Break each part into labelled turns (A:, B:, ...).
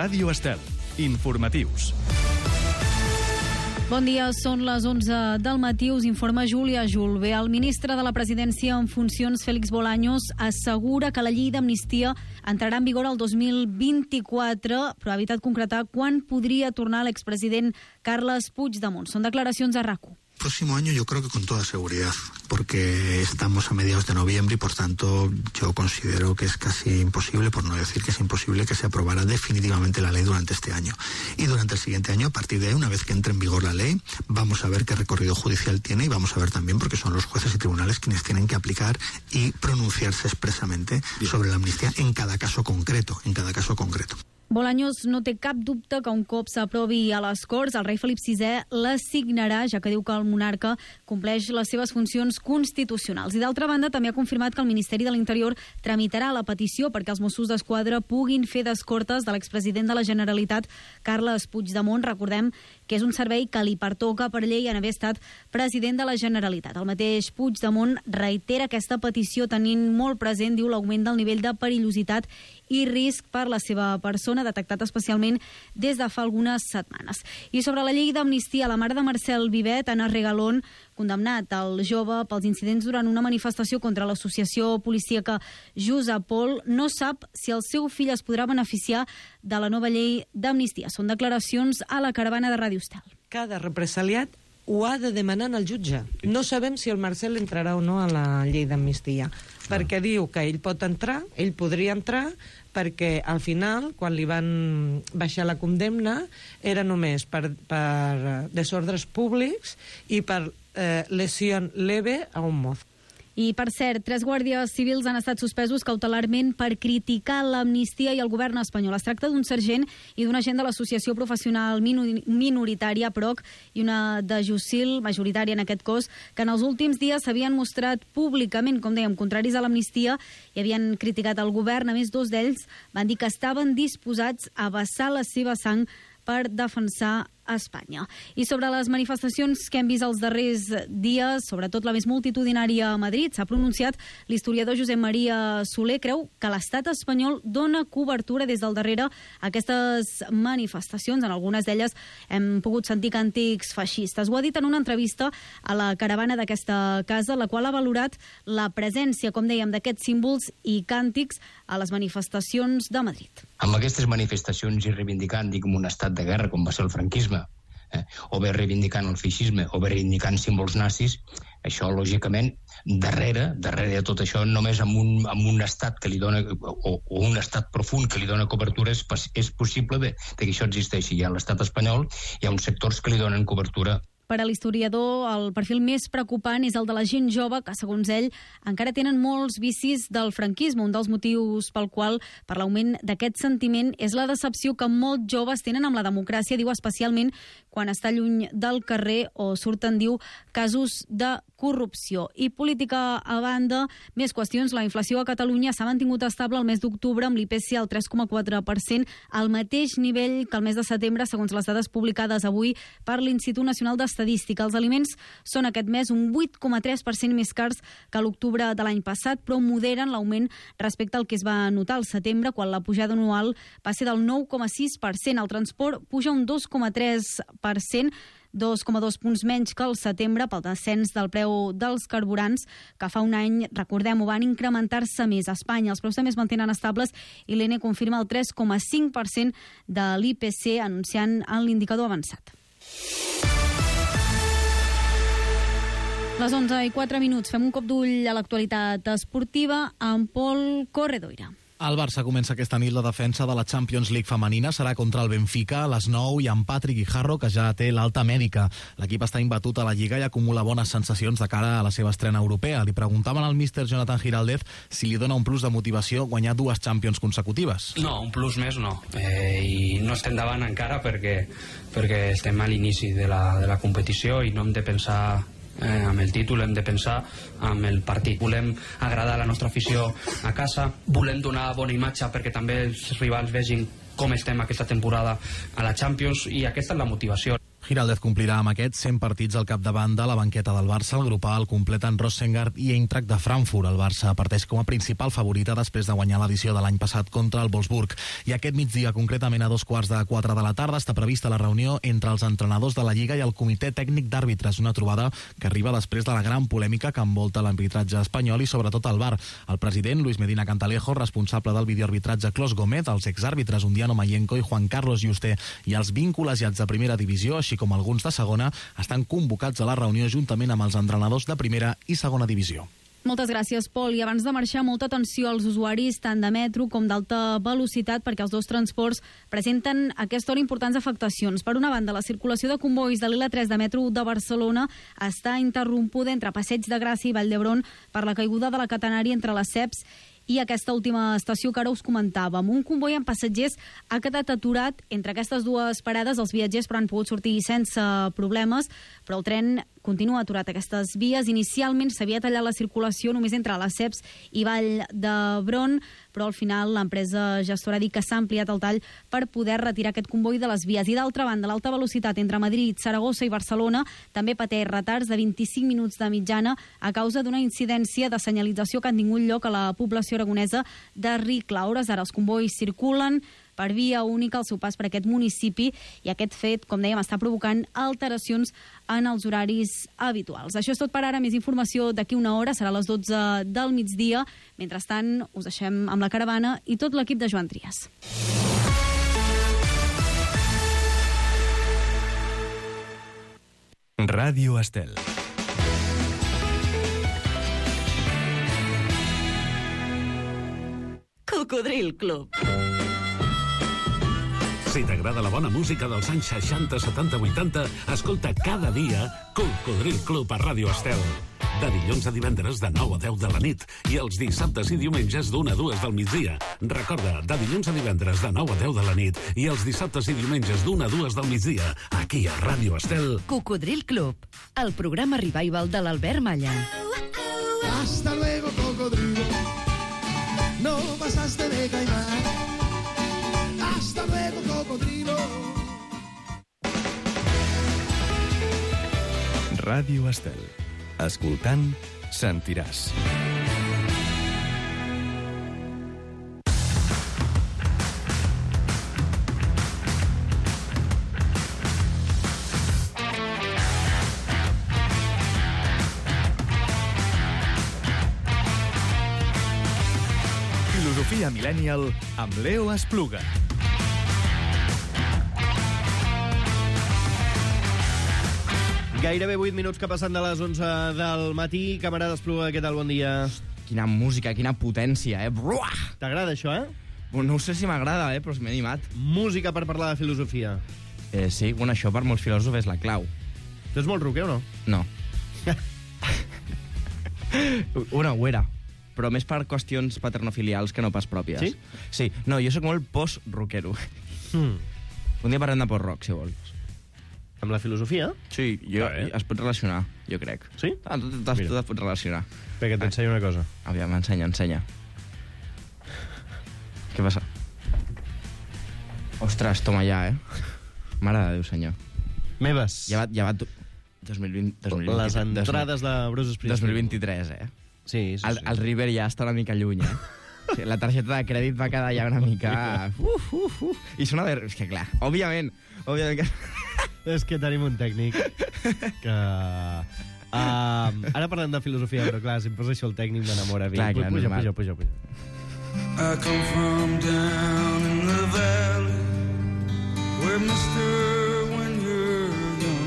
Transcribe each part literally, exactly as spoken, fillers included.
A: Ràdio Estel. Informatius.
B: Bon dia, són les onze del matí, us informa Júlia Julve. El ministre de la Presidència en funcions, Félix Bolaños, assegura que la llei d'amnistia entrarà en vigor el dos mil vint-i-quatre, però ha evitat concretar quan podria tornar l'expresident Carles Puigdemont. Són declaracions a RAC u.
C: Próximo año yo creo que con toda seguridad, porque estamos a mediados de noviembre y por tanto yo considero que es casi imposible, por no decir que es imposible, que se aprobara definitivamente la ley durante este año. Y durante el siguiente año, a partir de ahí, una vez que entre en vigor la ley, vamos a ver qué recorrido judicial tiene y vamos a ver también, porque son los jueces y tribunales quienes tienen que aplicar y pronunciarse expresamente sobre la amnistía en cada caso concreto, en cada caso concreto.
B: Bolaños no té cap dubte que un cop s'aprovi a les Corts, el rei Felip sisè la signarà, ja que diu que el monarca compleix les seves funcions constitucionals. I d'altra banda, també ha confirmat que el Ministeri de l'Interior tramitarà la petició perquè els Mossos d'Esquadra puguin fer d'escortes de l'expresident de la Generalitat, Carles Puigdemont. Recordem que és un servei que li pertoca per llei en haver estat president de la Generalitat. El mateix Puigdemont reitera aquesta petició tenint molt present, diu, l'augment del nivell de perillositat i risc per la seva persona, detectat especialment des de fa algunes setmanes. I sobre la llei d'amnistia, la mare de Marcel Vivet, Ana Regalón, condemnat el jove pels incidents durant una manifestació contra l'associació policíaca Jusapol, no sap si el seu fill es podrà beneficiar de la nova llei d'amnistia. Són declaracions a la caravana de Ràdio Estel.
D: Cada represaliat ho ha de demanar al jutge. No sabem si el Marcel entrarà o no a la llei d'amnistia, perquè diu que ell pot entrar, ell podria entrar, perquè al final, quan li van baixar la condemna, era només per, per desordres públics i per eh, lesió leve a un mozo.
B: I, per cert, tres guàrdies civils han estat suspesos cautelarment per criticar l'amnistia i el govern espanyol. Es tracta d'un sergent i d'un agent de l'associació professional minoritària P R O C i una de Jussil, majoritària en aquest cos, que en els últims dies s'havien mostrat públicament, com dèiem, contraris a l'amnistia i havien criticat el govern. A més, dos d'ells van dir que estaven disposats a vessar la seva sang per defensar Espanya. I sobre les manifestacions que hem vist els darrers dies, sobretot la més multitudinària a Madrid, s'ha pronunciat l'historiador Josep Maria Soler. Creu que l'estat espanyol dona cobertura des del darrere a aquestes manifestacions. En algunes d'elles hem pogut sentir càntics feixistes. Ho ha dit en una entrevista a la caravana d'aquesta casa, la qual ha valorat la presència, com dèiem, d'aquests símbols i càntics a les manifestacions de Madrid.
E: Amb aquestes manifestacions i reivindicant, diguem, un estat de guerra com va ser el franquisme, eh, o bé reivindicant el feixisme, o bé reivindicant símbols nazis, això, lògicament, darrere, darrere de tot això, només amb un, amb un estat que li dona, o, o un estat profund que li dona cobertura, és, és possible bé, que això existeixi. Hi ha l'estat espanyol, hi ha uns sectors que li donen cobertura.
B: Per a l'historiador, el perfil més preocupant és el de la gent jove que, segons ell, encara tenen molts vicis del franquisme. Un dels motius pel qual, per l'augment d'aquest sentiment, és la decepció que molts joves tenen amb la democràcia, diu, especialment quan està lluny del carrer o surten, diu, casos de corrupció. I política a banda, més qüestions. La inflació a Catalunya s'ha mantingut estable el mes d'octubre amb l'I P C al tres coma quatre per cent, al mateix nivell que el mes de setembre, segons les dades publicades avui per l'Institut Nacional d'Estadística. Els aliments són aquest mes un vuit coma tres per cent més cars que l'octubre de l'any passat, però moderen l'augment respecte al que es va notar al setembre, quan la pujada anual va ser del nou coma sis per cent. El transport puja un dos coma tres per cent, dos coma dos punts menys que el setembre pel descens del preu dels carburants, que fa un any, recordem-ho, van incrementar-se més. A Espanya els preus també es mantenen estables i l'E N E confirma el tres coma cinc per cent de l'I P C, anunciant en l'indicador avançat. Les onze i quatre minuts, fem un cop d'ull a l'actualitat esportiva amb Pol Corredoira.
F: El Barça comença aquesta nit la defensa de la Champions League femenina. Serà contra el Benfica a les nou i amb Patrick Guijarro, que ja té l'alta mèdica. L'equip està imbatut a la Lliga i acumula bones sensacions de cara a la seva estrena europea. Li preguntaven al míster Jonathan Giraldez si li dona un plus de motivació guanyar dues Champions consecutives.
G: No, un plus més no. Eh, I no estem davant encara perquè, perquè estem a l'inici de la, de la competició i no hem de pensar Eh, amb el títol, hem de pensar amb el partit. Volem agradar a la nostra afició a casa, volem donar bona imatge perquè també els rivals vegin com estem aquesta temporada a la Champions, i aquesta és la motivació.
F: Giraldez complirà amb aquests cent partits al capdavant de la banqueta del Barça. El grup A el completen Rosengard i Eintracht de Frankfurt. El Barça parteix com a principal favorita després de guanyar l'edició de l'any passat contra el Wolfsburg. I aquest migdia, concretament a dos quarts de quatre de la tarda, està prevista la reunió entre els entrenadors de la Lliga i el Comitè Tècnic d'Àrbitres, una trobada que arriba després de la gran polèmica que envolta l'arbitratge espanyol i sobretot el V A R. El president, Luis Medina Cantalejo, responsable del videoarbitratge Clos Gómez, els exàrbitres Undiano Mayenco i Juan Carlos Yuste i els vint col·legiats de primera divisió, així com alguns de segona, estan convocats a la reunió juntament amb els entrenadors de primera i segona divisió.
B: Moltes gràcies, Pol. I abans de marxar, molta atenció als usuaris tant de metro com d'alta velocitat perquè els dos transports presenten a aquesta hora importants afectacions. Per una banda, la circulació de convois de l'I L A tres de metro de Barcelona està interrompuda entre Passeig de Gràcia i Vall d'Hebron per la caiguda de la catenària entre les C E Ps i aquesta última estació que ara us comentàvem. Un comboi amb passatgers ha quedat aturat entre aquestes dues parades. Els viatgers però han pogut sortir sense problemes, però el tren continua aturat a aquestes vies. Inicialment s'havia tallat la circulació només entre les C E Ps i Vall d'Hebron, però al final l'empresa gestora ha dit que s'ha ampliat el tall per poder retirar aquest comboi de les vies. I d'altra banda, l'alta velocitat entre Madrid, Saragossa i Barcelona també pateix retards de vint-i-cinc minuts de mitjana a causa d'una incidència de senyalització que ha tingut lloc a la població aragonesa de Ricla. A hores d'ara els combois circulen per via única al seu pas per aquest municipi i aquest fet, com dèiem, està provocant alteracions en els horaris habituals. Això és tot per ara. Més informació d'aquí una hora, serà a les dotze del migdia. Mentrestant, us deixem amb la caravana i tot l'equip de Joan Trias.
A: Ràdio Estel.
H: Cocodril Club.
I: Si t'agrada la bona música dels anys seixanta, setanta, vuitanta, escolta cada dia Cocodril Club a Ràdio Estel. De dilluns a divendres de nou a deu de la nit i els dissabtes i diumenges d'una a dues del migdia. Recorda, de dilluns a divendres de nou a deu de la nit i els dissabtes i diumenges d'una a dues del migdia, aquí a Ràdio Estel.
H: Cocodril Club, el programa revival de l'Albert Malla.
J: Hasta luego, cocodrilo. No pasaste de caimán. Hasta luego, cocodrilo.
A: Ràdio Estel. Escoltant, sentiràs. Filosofia Millennial amb Leo Espluga.
K: Gairebé vuit minuts que passen de les onze del matí. Camarada Espluga, què tal? Bon dia.
L: Quina música, quina potència, eh? Bruah!
K: T'agrada això, eh?
L: No sé si m'agrada, eh? Però m'he animat.
K: Música per parlar de filosofia.
L: Eh, sí, bueno, això per molts filòsofs és la clau.
K: Tu ets molt rocker o no?
L: No. Una ho era, però més per qüestions paternofilials que no pas pròpies.
K: Sí?
L: Sí, no, jo sóc molt post-rockero.
K: Mm.
L: Un dia parlem de post-rock, si vols.
K: Amb la filosofia?
L: Sí, jo, ah, eh? es pot relacionar, jo crec.
K: Sí?
L: Ah, tu, tu, tu et pots relacionar.
K: Perquè t'ensenyo una cosa.
L: Aviam, ensenya, ensenya. Què passa? Ostres, toma ja, eh? Mare de Déu, senyor.
K: Meves.
L: Ja va, ja va... dos mil vint, dos mil vint,
K: Les entrades de Bruce Springsteen.
L: dos mil vint-i-tres, eh?
K: Sí, sí,
L: el,
K: sí.
L: El River ja està una mica lluny, eh? Sí, la targeta de crèdit va quedar ja una mica... Uf, uf, uf. I sona de... És que clar, òbviament, òbviament que...
K: És que tenim un tècnic que... Uh, ara parlem de filosofia, però clar, si em posa això el tècnic m'enamora.
L: Clar, clar,
K: puja,
L: normal.
K: puja, puja, puja.
J: I come from down in the valley where mister when you're young.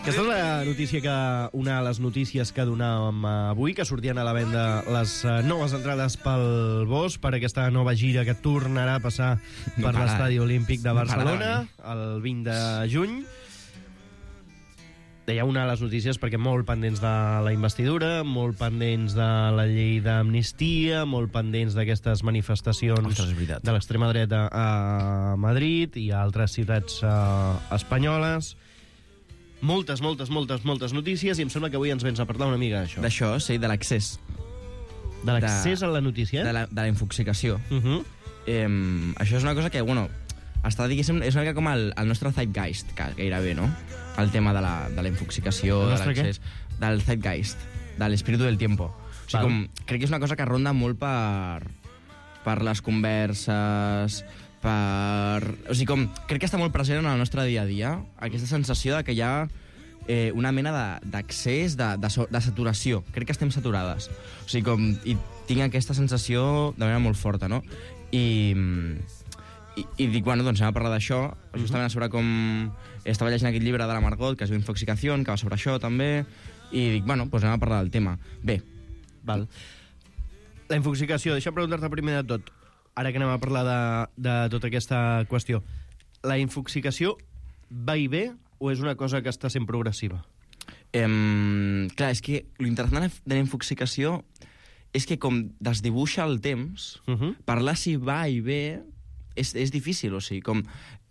K: Aquesta és la notícia que, una de les notícies que donàvem avui, que sortien a la venda les noves entrades pel Bosch per aquesta nova gira que tornarà a passar
L: No
K: per
L: para.
K: l'Estadi Olímpic de
L: No
K: Barcelona
L: para,
K: el vint de juny. Deia una de les notícies perquè molt pendents de la investidura, molt pendents de la llei d'amnistia, molt pendents d'aquestes manifestacions
L: Ostres, és veritat.
K: de l'extrema dreta a Madrid i a altres ciutats uh, espanyoles. Moltes, moltes, moltes, moltes notícies i em sembla que avui ens vens a parlar una mica d'això.
L: D'això, sí, de l'accés.
K: De l'accés a la notícia?
L: De la, de la infoxicació.
K: Uh -huh.
L: eh, això és una cosa que, bueno, està, diguéssim, és una mica com el, el nostre zeitgeist, gairebé, no? El tema de la, de la infoxicació, de l'accés, del zeitgeist, de l'espíritu del tiempo. O sigui, com, crec que és una cosa que ronda molt per, per les converses, per... O sigui, com, crec que està molt present en el nostre dia a dia, aquesta sensació de que hi ha eh, una mena d'accés, de, de, de, de saturació. Crec que estem saturades. O sigui, com, i tinc aquesta sensació de manera molt forta, no? I... I, i dic, bueno, doncs anem a parlar d'això, justament sobre com... Estava llegint aquest llibre de la Margot, que es diu Infoxicació, que va sobre això, també, i dic, bueno, doncs anem a parlar del tema. Bé.
K: Val. La infoxicació, deixa'm preguntar-te primer de tot, ara que anem a parlar de, de tota aquesta qüestió. La infoxicació va i ve o és una cosa que està sent progressiva?
L: Em, clar, és que l'interessant de la infoxicació és que com desdibuixa el temps, uh -huh. parlar si va i ve... És, és difícil, o sigui, com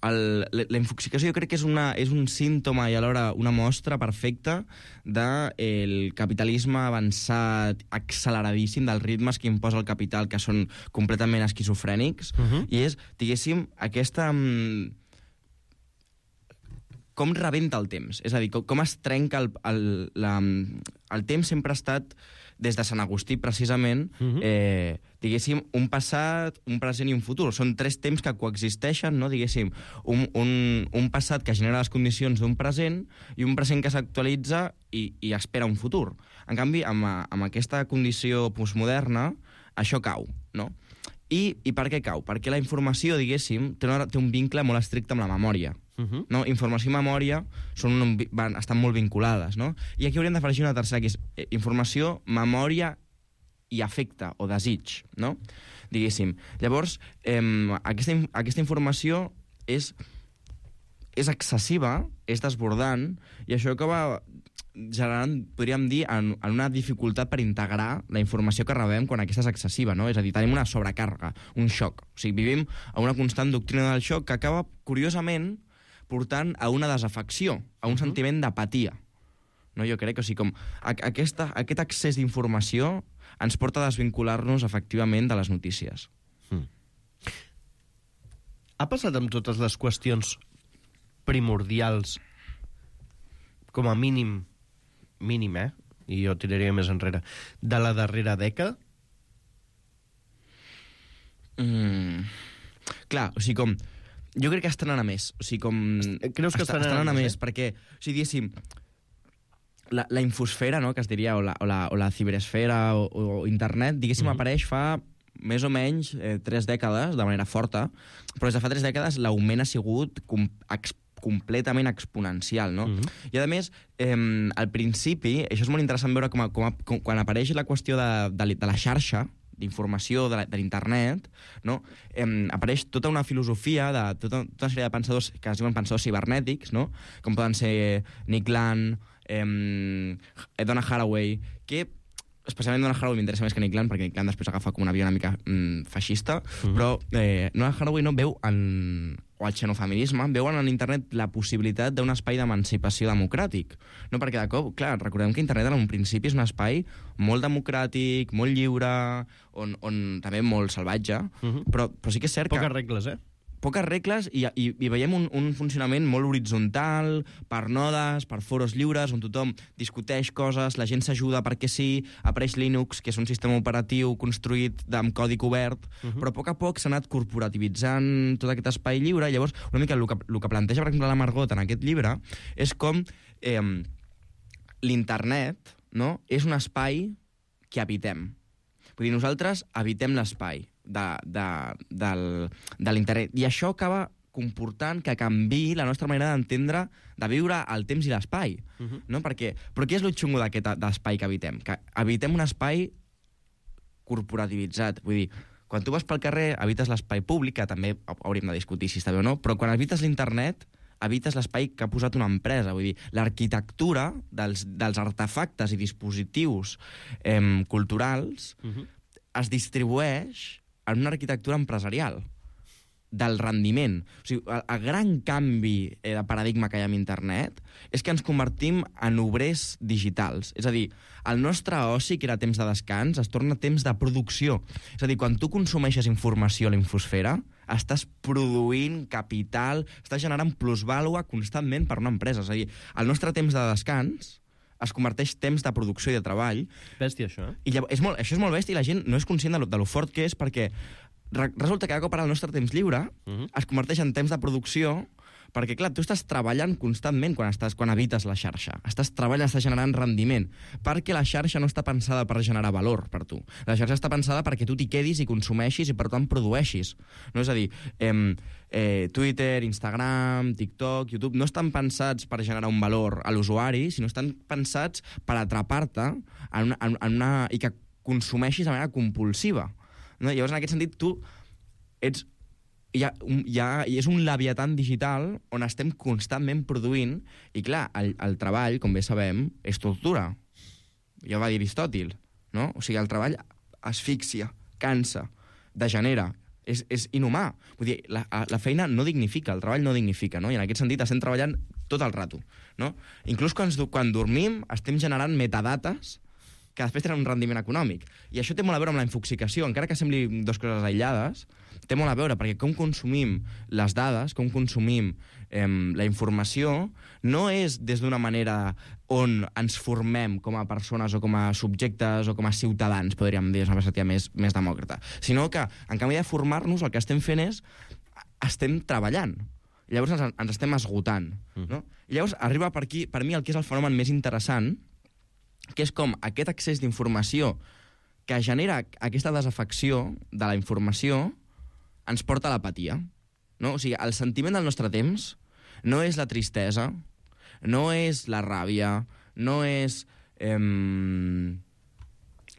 L: el, la, la infoxicació jo crec que és, una, és un símptoma i alhora una mostra perfecta del de capitalisme avançat, acceleradíssim, dels ritmes que imposa el capital, que són completament esquizofrènics, uh-huh. i és, diguéssim, aquesta... Um, com rebenta el temps, és a dir, com, com es trenca el, el, la, el temps sempre ha estat, des de Sant Agustí, precisament, uh-huh. eh, diguéssim, un passat, un present i un futur. Són tres temps que coexisteixen, no? Diguéssim, un, un, un passat que genera les condicions d'un present i un present que s'actualitza i, i espera un futur. En canvi, amb, amb aquesta condició postmoderna, això cau, no? I, I per què cau? Perquè la informació, diguéssim, té, una, té un vincle molt estricte amb la memòria. Uh-huh. No? Informació i memòria són un, van, estan molt vinculades, no? I aquí hauríem d'afegir una tercera, que és eh, informació, memòria i afecte o desig, no? Diguéssim. Llavors, eh, aquesta, aquesta informació és, és excessiva, és desbordant, i això acaba generant, podríem dir, en, en una dificultat per integrar la informació que rebem quan aquesta és excessiva, no? És a dir, tenim una sobrecàrrega, un xoc. O sigui, vivim a una constant doctrina del xoc que acaba, curiosament, portant a una desafecció, a un uh-huh. sentiment d'apatia. No, jo crec que, o sigui, com aquesta, aquest accés d'informació ens porta a desvincular-nos efectivament de les notícies.
K: Hmm. Ha passat amb totes les qüestions primordials, com a mínim, mínim, eh? I jo tiraria més enrere, de la darrera dècada?
L: Mm. Clar, o sigui, com... Jo crec que estan anant a més. O sigui, com...
K: Creus que estan, estan anant a més?
L: més? Perquè, o sigui, diguéssim, la, la infosfera, no?, que es diria, o la, o la, o la ciberesfera, o, o internet, diguéssim, uh-huh. apareix fa més o menys eh, tres dècades, de manera forta, però des de fa tres dècades l'augment ha sigut com, ex, completament exponencial, no? Uh-huh. I, a més, eh, al principi, això és molt interessant veure com, a, com, a, com quan apareix la qüestió de, de, de la xarxa, d'informació de l'internet, no? Eh, apareix tota una filosofia de tota, tota una sèrie de pensadors que es diuen pensadors cibernètics, no? Com poden ser Nick Land, eh, Donna Haraway, que especialment Donna Haraway m'interessa més que Nick Land, perquè Nick Land després agafa com una via una mica mm, feixista, uh-huh. però eh, Donna Haraway no veu en... o el xenofeminisme, veuen en internet la possibilitat d'un espai d'emancipació democràtic. No? Perquè de cop, clar, recordem que internet en un principi és un espai molt democràtic, molt lliure, on, on també molt salvatge, uh-huh. però, però sí que és cert
K: Poques
L: que...
K: Poques regles, eh?
L: Poques regles i, i, i veiem un, un funcionament molt horitzontal, per nodes, per foros lliures, on tothom discuteix coses, la gent s'ajuda perquè sí, apareix Linux, que és un sistema operatiu construït amb codi obert, uh-huh. però a poc a poc s'ha anat corporativitzant tot aquest espai lliure, i llavors una mica el que, el que planteja, per exemple, la Margot en aquest llibre, és com eh, l'internet, no?, és un espai que habitem. Vull dir, nosaltres habitem l'espai de, de, del, de l'internet. I això acaba comportant que canviï la nostra manera d'entendre, de viure el temps i l'espai. Uh-huh. No? Perquè, però què és el xungo d'aquest espai que habitem? Que habitem un espai corporativitzat. Vull dir, quan tu vas pel carrer, habites l'espai públic, que també hauríem de discutir si està bé o no, però quan habites l'internet, habites l'espai que ha posat una empresa. Vull dir, l'arquitectura dels, dels artefactes i dispositius eh, culturals uh-huh. es distribueix en una arquitectura empresarial. del rendiment. O sigui, el, el gran canvi eh, de paradigma que hi ha amb internet és que ens convertim en obrers digitals. És a dir, el nostre oci, que era temps de descans, es torna temps de producció. És a dir, quan tu consumeixes informació a la infosfera, estàs produint capital, estàs generant plusvàlua constantment per una empresa. És a dir, el nostre temps de descans es converteix temps de producció i de treball.
K: Bèstia, això, eh?
L: I llavors, és molt, això és molt bèstia i la gent no és conscient de lo, de lo fort que és, perquè resulta que cada cop ara el nostre temps lliure uh-huh. es converteix en temps de producció, perquè, clar, tu estàs treballant constantment quan, estàs, quan habites la xarxa. Estàs treballant, estàs generant rendiment, perquè la xarxa no està pensada per generar valor per tu. La xarxa està pensada perquè tu t'hi quedis i consumeixis i, per tant, produeixis. No? És a dir, eh, eh, Twitter, Instagram, TikTok, YouTube, no estan pensats per generar un valor a l'usuari, sinó estan pensats per atrapar-te en una, en, en una, i que consumeixis de manera compulsiva. No? Llavors, en aquest sentit, tu ets... Hi ha, hi ha, és un leviatan digital on estem constantment produint, i clar, el, el treball, com bé sabem, és tortura. Ja va dir Aristòtil, no? O sigui, el treball asfixia, cansa, degenera, és, és inhumà. Vull dir, la, la feina no dignifica, el treball no dignifica, no? I en aquest sentit estem treballant tot el rato, no? Inclús quan, quan dormim estem generant metadates que després tenen un rendiment econòmic. I això té molt a veure amb la infoxicació, encara que sembli dues coses aïllades, té molt a veure, perquè com consumim les dades, com consumim eh, la informació, no és des d'una manera on ens formem com a persones o com a subjectes o com a ciutadans, podríem dir, és una perspectiva més, més demòcrata, sinó que, en canvi de formar-nos, el que estem fent és estem treballant. I llavors ens, ens estem esgotant. No? I llavors arriba per aquí, per mi, el que és el fenomen més interessant, que és com aquest accés d'informació que genera aquesta desafecció de la informació ens porta a l'apatia. No? O sigui, el sentiment del nostre temps no és la tristesa, no és la ràbia, no és eh,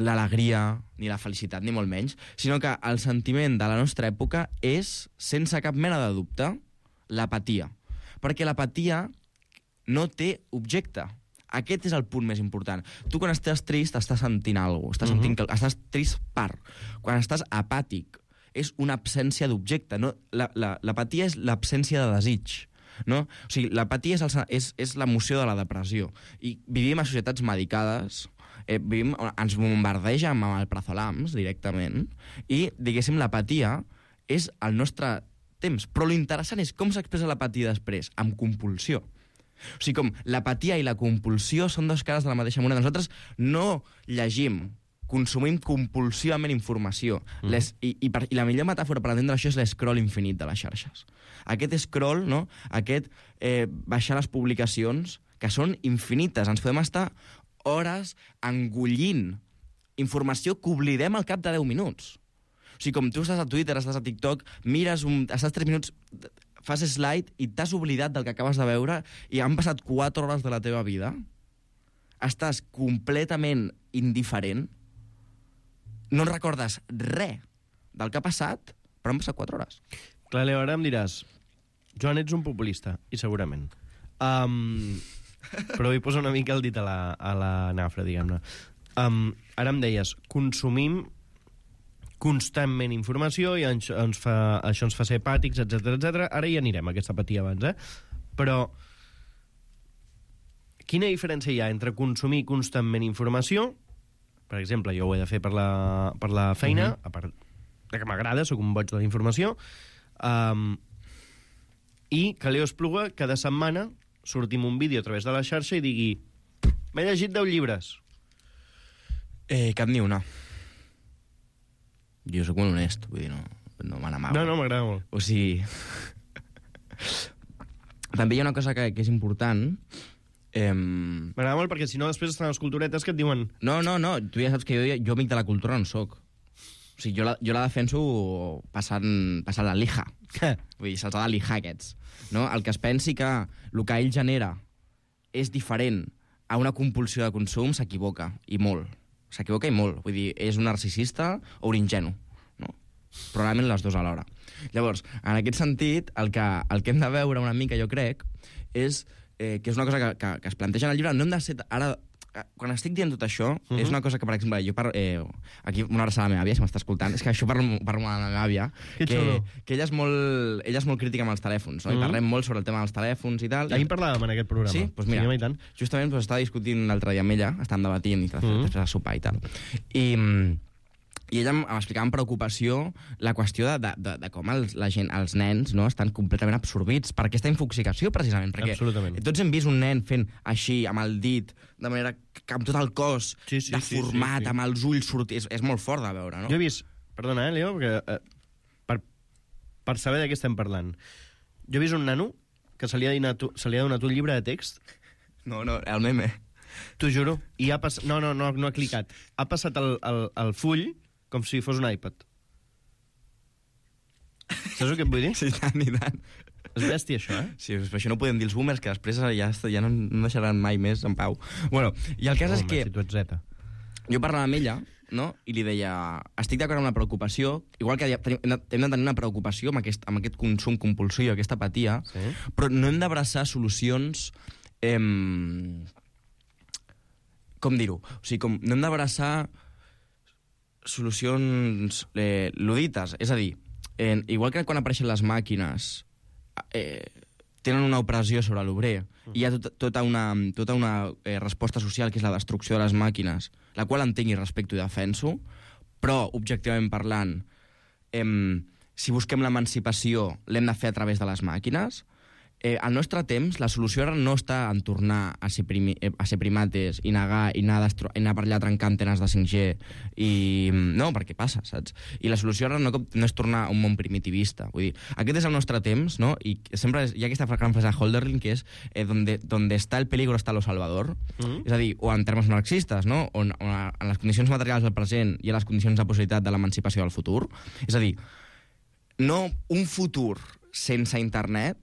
L: l'alegria ni la felicitat, ni molt menys, sinó que el sentiment de la nostra època és, sense cap mena de dubte, l'apatia. Perquè l'apatia no té objecte. Aquest és el punt més important. Tu, quan estàs trist, estàs sentint alguna cosa. Estàs, uh-huh. sentint que, estàs trist per. Quan estàs apàtic, és una absència d'objecte. No? La, la, l'apatia és l'absència de desig. No? O sigui, l'apatia és, el, és, és l'emoció de la depressió. I vivim a societats medicades, eh, vivim, ens bombardeja amb el prazolams directament, i, diguéssim, l'apatia és el nostre temps. Però l'interessant és com s'expressa l'apatia després, amb compulsió. O sigui, com l'apatia i la compulsió són dos cares de la mateixa moneda. Nosaltres no llegim, consumim compulsivament informació. Mm. Les, i, i, per, I la millor metàfora per entendre això és l'escroll infinit de les xarxes. Aquest scroll, no? Aquest eh, baixar les publicacions, que són infinites. Ens podem estar hores engollint informació que oblidem al cap de deu minuts. O sigui, com tu estàs a Twitter, estàs a TikTok, mires, un, estàs tres minuts... fas slide i t'has oblidat del que acabes de veure i han passat quatre hores de la teva vida, estàs completament indiferent, no recordes res del que ha passat, però han passat quatre hores.
K: Clar, Leo, ara em diràs, Joan, ets un populista, i segurament. Um, però vull posar una mica el dit a la, a la nafra, diguem-ne. Um, ara em deies, consumim constantment informació i ens, ens fa, això ens fa ser apàtics, etcètera, etcètera. Ara hi anirem, aquesta apatia abans, eh? Però quina diferència hi ha entre consumir constantment informació, per exemple, jo ho he de fer per la, per la feina, uh-huh. a part de que m'agrada, sóc un boig de la informació, um, i que Leo Espluga cada setmana sortim un vídeo a través de la xarxa i digui m'he llegit deu llibres.
L: Eh, cap ni una. Jo sóc molt honest, vull dir, no, no me n'amago.
K: No, no, m'agrada molt.
L: O sigui... També hi ha una cosa que, que és important. Eh...
K: M'agrada molt perquè si no després estan les culturetes que et diuen...
L: No, no, no, tu ja saps que jo, jo amic de la cultura no soc. O sigui, jo la, jo la defenso passant, passant la lija. Vull dir, se'ls ha de lijar aquests. No? El que es pensi que el que ell genera és diferent a una compulsió de consum s'equivoca, i molt. S'equivoca i molt. Vull dir, és un narcisista o un ingenu. No? Probablement les dues alhora. Llavors, en aquest sentit, el que, el que hem de veure una mica, jo crec, és eh, que és una cosa que, que, que es planteja en el llibre. No hem de ser... Ara, quan estic dient tot això, uh
K: Mhm.
L: -huh. és una cosa que, per exemple, jo parlo... Eh, aquí una abraçada a la meva àvia, si m'està escoltant, és que això parlo, parlo amb la meva àvia,
K: Que
L: que,
K: xulo.
L: que ella és molt, ella és molt crítica amb els telèfons, no?
K: Mhm.
L: I parlem molt sobre el tema dels telèfons i tal.
K: Ahir parlàvem en aquest programa.
L: Sí? Doncs mira,
K: Sí, home, i tant.
L: justament pues, estava discutint l'altre dia amb ella, estàvem debatint i
K: Mhm.
L: després de sopar i tal. I... mm, i ella em- m'explicava amb preocupació la qüestió de, de, de, de com els, la gent, els nens no, estan completament absorbits per aquesta infoxicació, precisament. Perquè
K: Absolutament.
L: tots hem vist un nen fent així, amb el dit, de manera que amb tot el cos
K: Sí, sí,
L: deformat,
K: sí, sí, sí.
L: amb els ulls sortits... És, és molt fort de veure, no?
K: Jo he vist... Perdona, eh, Leo, perquè, eh, per, per saber de què estem parlant. Jo he vist un nano que se li ha donat, se li ha donat un llibre de text.
L: No, no, el meme.
K: T'ho juro. I ha passat... No, no, no, no ha clicat. Ha passat el, el, el full com si fos un iPad. Saps el que et vull dir?
L: Sí, tant i tant.
K: És bèstia, això, eh?
L: Sí, però això no podem dir els boomers, que després ja, ja no, no deixaran mai més en pau. Bueno, i el cas
K: Home,
L: és que...
K: si tu ets zeta.
L: Jo parlava amb ella, no?, i li deia, estic d'acord amb la preocupació, igual que tenim, hem de tenir una preocupació amb aquest, amb aquest consum compulsiu, aquesta apatia,
K: Sí.
L: però no hem d'abraçar solucions... Eh, com dir-ho? O sigui, com, no hem d'abraçar solucions eh, ludites. És a dir, eh, igual que quan apareixen les màquines, eh, tenen una opressió sobre l'obrer, i hi ha tot, tota una, tota una eh, resposta social, que és la destrucció de les màquines, la qual entenc i respecto i defenso, però, objectivament parlant, eh, si busquem l'emancipació, l'hem de fer a través de les màquines. Eh, al nostre temps, la solució ara no està en tornar a ser, primi, eh, a ser primates i negar, i anar, destro, i anar per allà a trencar antenes de cinc G. I, no, perquè passa, saps? I la solució ara no, no és tornar a un món primitivista. Vull dir, aquest és el nostre temps, no? I sempre hi ha aquesta gran frase de Hölderlin, que és eh, donde, donde está el peligro está lo salvador. Mm-hmm. És a dir, o en termes marxistes, no? On, on, en les condicions materials del present i a les condicions de possibilitat de l'emancipació del futur. És a dir, no un futur sense internet,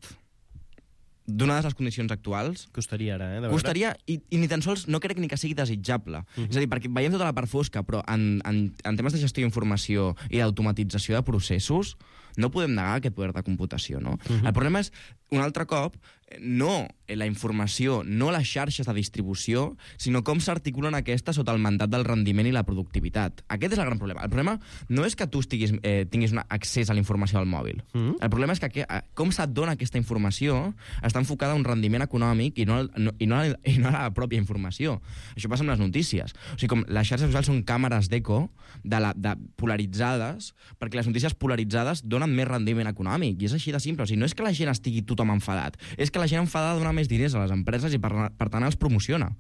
L: donades les condicions actuals...
K: Costaria ara, eh? De
L: costaria, i, i ni tan sols no crec ni que sigui desitjable.
K: Mhm.
L: És a dir, perquè veiem tota la part fosca, però en, en, en temes de gestió d'informació i d'automatització de processos, no podem negar aquest poder de computació, no?
K: Mhm.
L: El problema és, un altre cop, no la informació, no les xarxes de distribució, sinó com s'articulen aquestes sota el mandat del rendiment i la productivitat. Aquest és el gran problema. El problema no és que tu estiguis, eh, tinguis un accés a la informació al mòbil.
K: Mhm.
L: El problema és que, que com se't dona aquesta informació està enfocada a un rendiment econòmic i no, no, i, no, a- i no a la pròpia informació. Això passa amb les notícies. O sigui, com les xarxes socials són càmeres d'eco de la, de polaritzades, perquè les notícies polaritzades donen més rendiment econòmic, i és així de simple. O sigui, no és que la gent estigui tothom enfadat, és que la gent enfadada dona més diners a les empreses i per, per tant els promociona.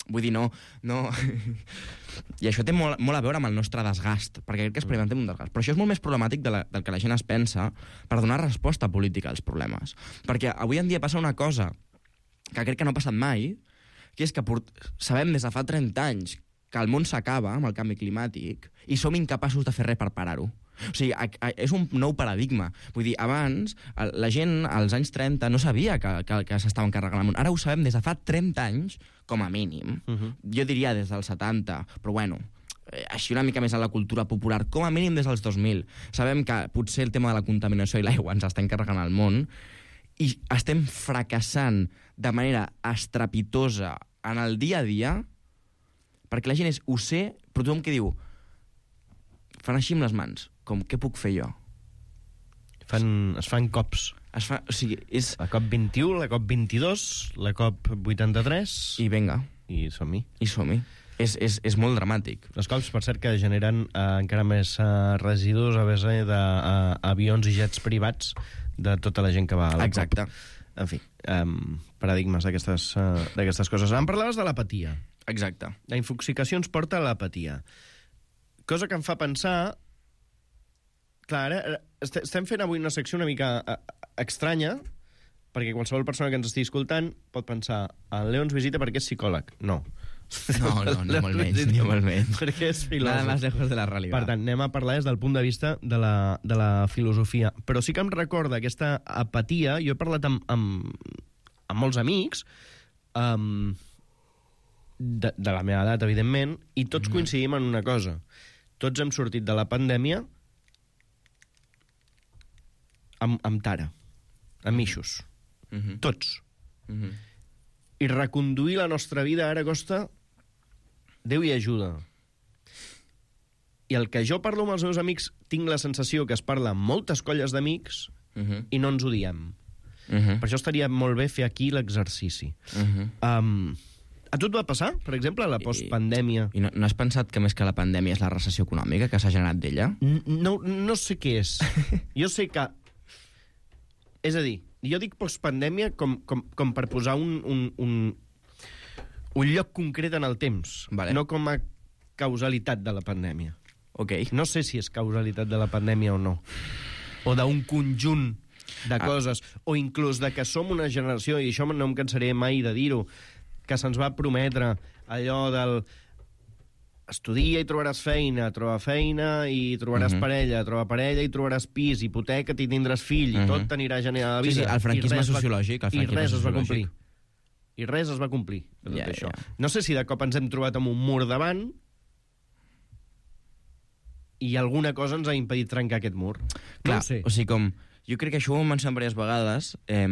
L: Vull dir, no... no... I això té molt, molt a veure amb el nostre desgast, perquè crec que experimentem un desgast. Però això és molt més problemàtic de la, del que la gent es pensa per donar resposta política als problemes. Perquè avui en dia passa una cosa que crec que no ha passat mai, que és que port... sabem des de fa trenta anys que el món s'acaba amb el canvi climàtic i som incapaços de fer res per parar-ho. O sigui, a, a, és un nou paradigma. Vull dir, abans, a, la gent als anys trenta no sabia que, que, que s'estaven carregant el món. Ara ho sabem des de fa trenta anys, com a mínim.
K: Mhm.
L: Jo diria des dels setanta, però bueno, eh, així una mica més a la cultura popular, com a mínim des dels dos mil. Sabem que potser el tema de la contaminació i l'aigua ens està encarregant el món i estem fracassant de manera estrepitosa en el dia a dia perquè la gent és, ho sé, però tothom que diu, fan així amb les mans, com, què puc fer jo?
K: Fan, es fan cops.
L: Es fa, o sigui, és...
K: La COP vint-i-u, la COP vint-i-dos, la COP vuitanta-tres...
L: I vinga.
K: I som-hi.
L: I som-hi. És, és, és molt dramàtic.
K: Les cops, per cert, que generen eh, encara més eh, residus a base d'avions i jets privats de tota la gent que va a la
L: Exacte.
K: COP. En fi, um, paradigmes d'aquestes uh, d'aquestes coses. Em parlaves de l'apatia.
L: Exacte.
K: La infoxicació ens porta a l'apatia. Cosa que em fa pensar... Clar, ara est estem fent avui una secció una mica uh, estranya, perquè qualsevol persona que ens estigui escoltant pot pensar el Leo ens visita perquè és psicòleg. No.
L: No, no, ni molt menys, ni molt menys.
K: Perquè és filòsof.
L: Nada más lejos de la realitat.
K: Per tant, anem a parlar des del punt de vista de la, de la filosofia. Però sí que em recorda aquesta apatia. Jo he parlat amb, amb, amb molts amics, um, de, de la meva edat, evidentment, i tots mm-hmm. coincidim en una cosa. Tots hem sortit de la pandèmia amb, amb tara, amb ixos.
L: Mm-hmm.
K: Tots.
L: Mm-hmm.
K: I reconduir la nostra vida ara costa Déu hi ajuda. I el que jo parlo amb els meus amics, tinc la sensació que es parla amb moltes colles d'amics uh-huh. i no ens ho diem. Uh-huh. Per això estaria molt bé fer aquí l'exercici. Uh-huh. Um, a tu et va passar, per exemple, la postpandèmia?
L: I, i no, no has pensat que més que la pandèmia és la recessió econòmica que s'ha generat d'ella?
K: No, no sé què és. Jo sé que... És a dir, jo dic postpandèmia com, com, com per posar un, un, un, un lloc concret en el temps, vale. No com a causalitat de la pandèmia.
L: Okay.
K: No sé si és causalitat de la pandèmia o no. O d'un conjunt de ah. coses. O inclús de que som una generació, i això no em cansaré mai de dir-ho, que se'ns va prometre allò del... Estudia i trobaràs feina, troba feina i trobaràs uh-huh. parella, troba parella i trobaràs pis, hipoteca i tindràs fill, uh-huh. i tot t'anirà generant la vida.
L: Sí, sí, el franquisme sociològic.
K: Va... I res es va complir. I res es va complir. Ja, tot això. Ja. No sé si de cop ens hem trobat amb un mur davant i alguna cosa ens ha impedit trencar aquest mur.
L: Clar,
K: no ho sé.
L: O sigui, com... Jo crec que això ho hem mencionat diverses vegades. Eh,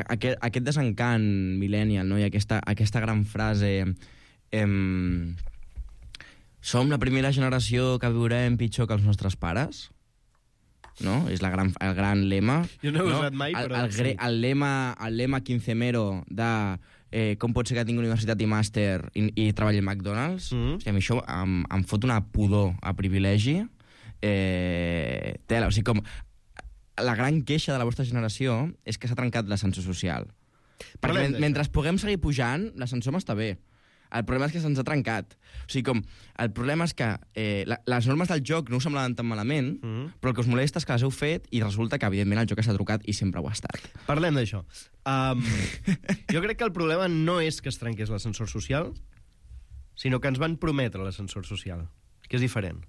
L: aquest, aquest desencant millennial, no? I aquesta, aquesta gran frase... Eh, som la primera generació que viurem pitjor que els nostres pares, no? És la gran, el gran lema.
K: Jo no he
L: no?
K: usat mai,
L: el,
K: però...
L: El, el, sí. el, lema, el lema quincemero de eh, com pot ser que tingui universitat i màster i, i treballi a McDonald's. Mm-hmm. O sigui, a mi això em, em fot una pudor a privilegi. Eh, tela, o sigui, com... La gran queixa de la vostra generació és que s'ha trencat l'ascensor social. Perquè men, mentre puguem seguir pujant, l'ascensor m'està bé. El problema és que se'ns ha trencat. O sigui, com, el problema és que eh, la, les normes del joc no us semblaven tan malament, mm-hmm. però el que us molesta és que les heu fet i resulta que, evidentment, el joc s'ha trucat i sempre ho ha estat.
K: Parlem d'això. Um, jo crec que el problema no és que es trenqués l'ascensor social, sinó que ens van prometre l'ascensor social, que és diferent.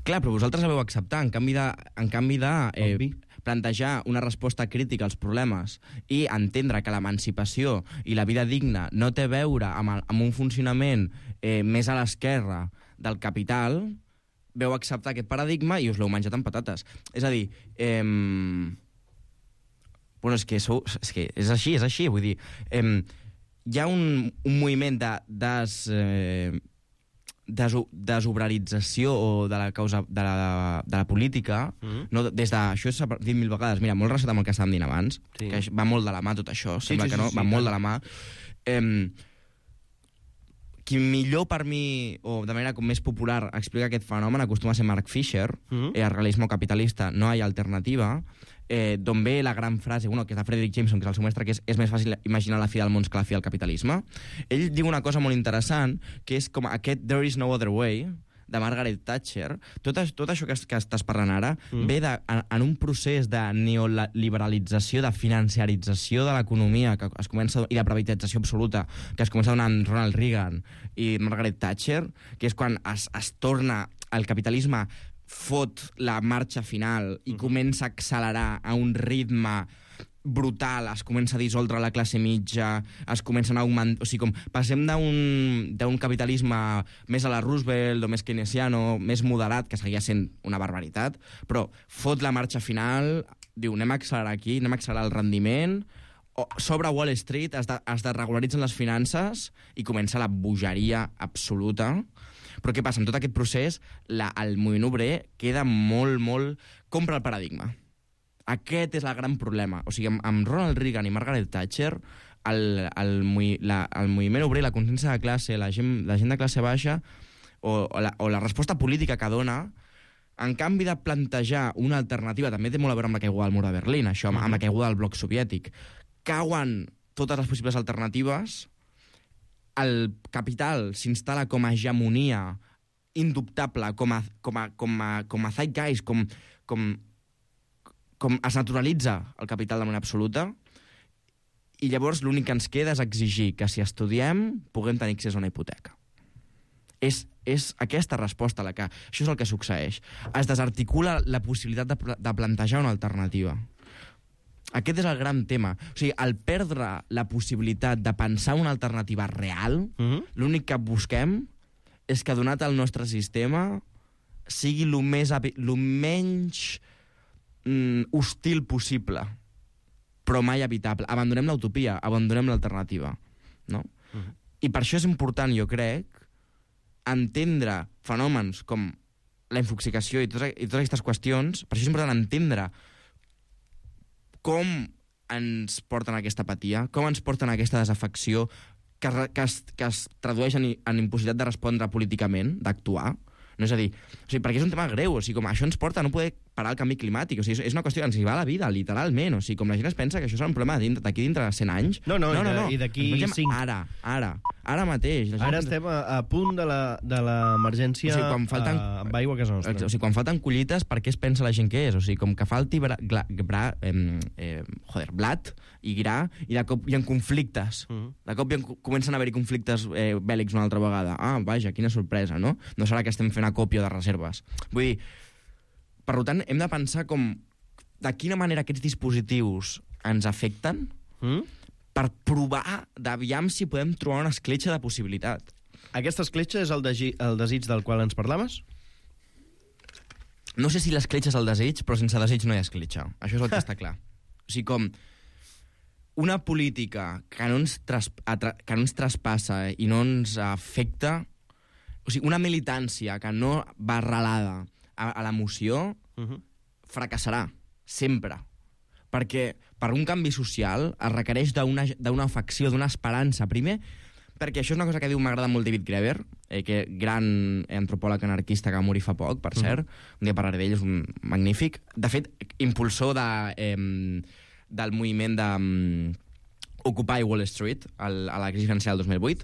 L: Clar, però vosaltres la vau acceptar, en canvi de, en canvi de eh, plantejar una resposta crítica als problemes i entendre que l'emancipació i la vida digna no té a veure amb, el, amb un funcionament eh, més a l'esquerra del capital, veu acceptar aquest paradigma i us l'heu menjat amb patates. És a dir, eh, bueno, és que, sou, és que és així, és així, vull dir, eh, hi ha un, un moviment de... Des, eh, desobrarització o de la causa de la, de la política, mm-hmm. no, des de, això s'ha dit mil vegades, mira, molt relacionat amb el que estàvem dint abans, sí. que va molt de la mà tot això, sí, sembla sí, que no, sí, va sí, molt clar. de la mà. Eh, qui millor per mi, o de manera com més popular, explica aquest fenomen acostuma a ser Mark Fisher, mm-hmm. eh, el realisme capitalista, no hi ha alternativa, eh, d'on ve la gran frase, bueno, que és de Frederick Jameson, que és el seu mestre, que és, és més fàcil imaginar la fi del món que la fi del capitalisme. Ell diu una cosa molt interessant, que és com aquest There is no other way, de Margaret Thatcher. Tot, tot això que, que estàs parlant ara mm. ve de, en, en un procés de neoliberalització, de financiarització de l'economia que es comença, i de privatització absoluta que es comença a donar amb Ronald Reagan i Margaret Thatcher, que és quan es, es torna el capitalisme fot la marxa final i uh-huh. comença a accelerar a un ritme brutal, es comença a dissoldre la classe mitja, es comencen a augmentar... O sigui, com passem d'un capitalisme més a la Roosevelt o més keynesiano, més moderat, que seguia sent una barbaritat, però fot la marxa final, diu, anem a accelerar aquí, anem a accelerar el rendiment, s'obre Wall Street, es, de, es desregularitzen les finances i comença la bogeria absoluta. Però què passa? En tot aquest procés, la, el moviment obrer queda molt, molt... compra el paradigma. Aquest és el gran problema. O sigui, amb, amb Ronald Reagan i Margaret Thatcher, el, el, la, el moviment obrer, la consciència de classe, la gent, la gent de classe baixa, o, o, la, o la resposta política que dona, en canvi de plantejar una alternativa, també té molt a veure amb la caiguda del mur de Berlín, això, amb, amb la caiguda del bloc soviètic, cauen totes les possibles alternatives, el capital s'instal·la com a hegemonia indubtable, com a, com a, com a, com a zeitgeist, com, com, com es naturalitza el capital de manera absoluta, i llavors l'únic que ens queda és exigir que si estudiem puguem tenir accés a una hipoteca. És, és aquesta resposta la que... Això és el que succeeix. Es desarticula la possibilitat de, de plantejar una alternativa. Aquest és el gran tema. O sigui, al perdre la possibilitat de pensar una alternativa real, mm-hmm. l'únic que busquem és que, donat el nostre sistema, sigui el més, lo menys mm, hostil possible, però mai evitable. Abandonem l'utopia, abandonem l'alternativa. No? Mm-hmm. I per això és important, jo crec, entendre fenòmens com la infoxicació i totes, i totes aquestes qüestions, per això és important entendre com ens porten a aquesta apatia, com ens porten a aquesta desafecció, que, que, es, que es tradueix en, en impossibilitat de respondre políticament, d'actuar. No, és a dir, o sigui, perquè és un tema greu, o sigui, com això ens porta a no poder parar el canvi climàtic, o sigui, és una qüestió que ens hi va a la vida, literalment, o sigui, com la gent es pensa que això serà un problema d'aquí dintre de cent anys.
K: No, no,
L: no, no, no.
K: i d'aquí cinc.
L: Ara, ara, ara mateix.
K: Ara estem a, a punt de l'emergència,
L: o sigui, falten,
K: uh, amb aigua a casa nostra.
L: O sigui, quan falten collites, per què es pensa la gent que és? O sigui, com que falti bra, gra, bra, eh, eh, joder, blat i gra, i de cop hi ha conflictes. Uh -huh. De cop hi ha, comencen a haver-hi conflictes eh, bèl·lics una altra vegada. Ah, vaja, quina sorpresa, no? No serà que estem fent acòpia de reserves. Vull dir, per tant, hem de pensar com de quina manera aquests dispositius ens afecten mm? per provar d'aviam si podem trobar una escletxa de possibilitat.
K: Aquesta escletxa és el, de, el desig del qual ens parlaves?
L: No sé si l'escletxa és el desig, però sense desig no hi ha escletxa. Això és el que està clar. O sigui, com una política que no ens, tras, que no ens traspassa i no ens afecta, o sigui, una militància que no va arrelada a, a l'emoció, uh-huh. fracassarà, sempre. Perquè per un canvi social es requereix d'una afecció, d'una esperança. Primer, perquè això és una cosa que diu, m'agrada molt David Graeber, eh, que gran antropòleg anarquista que va morir fa poc, per cert. Uh-huh. Un dia parlaré d'ell, és un magnífic. De fet, impulsor de, eh, del moviment de um, Occupy Wall Street el, a la crisi financera del dos mil vuit.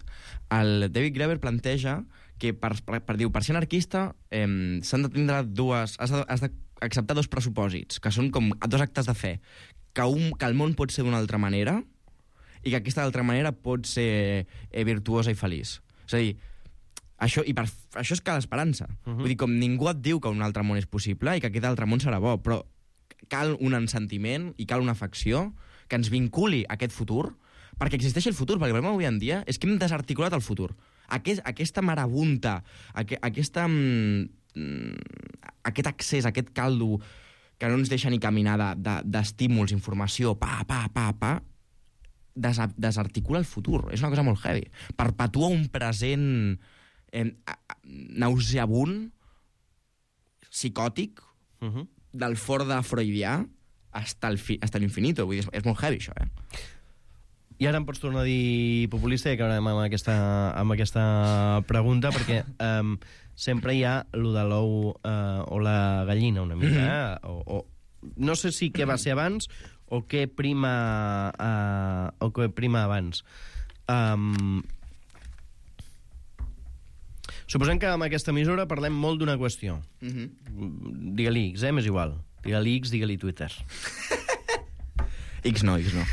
L: El David Graeber planteja que per, per, per, diu, per ser anarquista eh, s'han de tindre dues... Has de, has d'acceptar dos pressupòsits, que són com dos actes de fe. Que, un, que el món pot ser d'una altra manera i que aquesta altra manera pot ser eh, virtuosa i feliç. És a dir, això, i per, això és cal esperança. Uh-huh. Vull dir, com ningú et diu que un altre món és possible i que aquest altre món serà bo, però cal un ensentiment i cal una afecció que ens vinculi a aquest futur, perquè existeix el futur, perquè el problema avui en dia és que hem desarticulat el futur. Aquest, aquesta marabunta, aqu aquesta, mm, aquest accés, aquest caldo que no ens deixa ni caminar d'estímuls, de, de, informació, pa, pa, pa, pa, des, desarticula el futur. És una cosa molt heavy. Perpetua un present eh, nauseabund, psicòtic, uh -huh. del fort de freudià hasta l'infinito. Vull dir, és, és molt heavy, això, eh?
K: I ara em pots tornar a dir populista i acabarem amb aquesta, amb aquesta pregunta, perquè um, sempre hi ha lo de l'ou uh, o la gallina, una mica. Eh? O, o, no sé si què va ser abans o què prima, uh, o què prima abans. Um, suposem que amb aquesta emissora parlem molt d'una qüestió. Uh-huh. Digue-li X, eh? M'és igual. Digue-li X, digue-li Twitter.
L: X no, X no.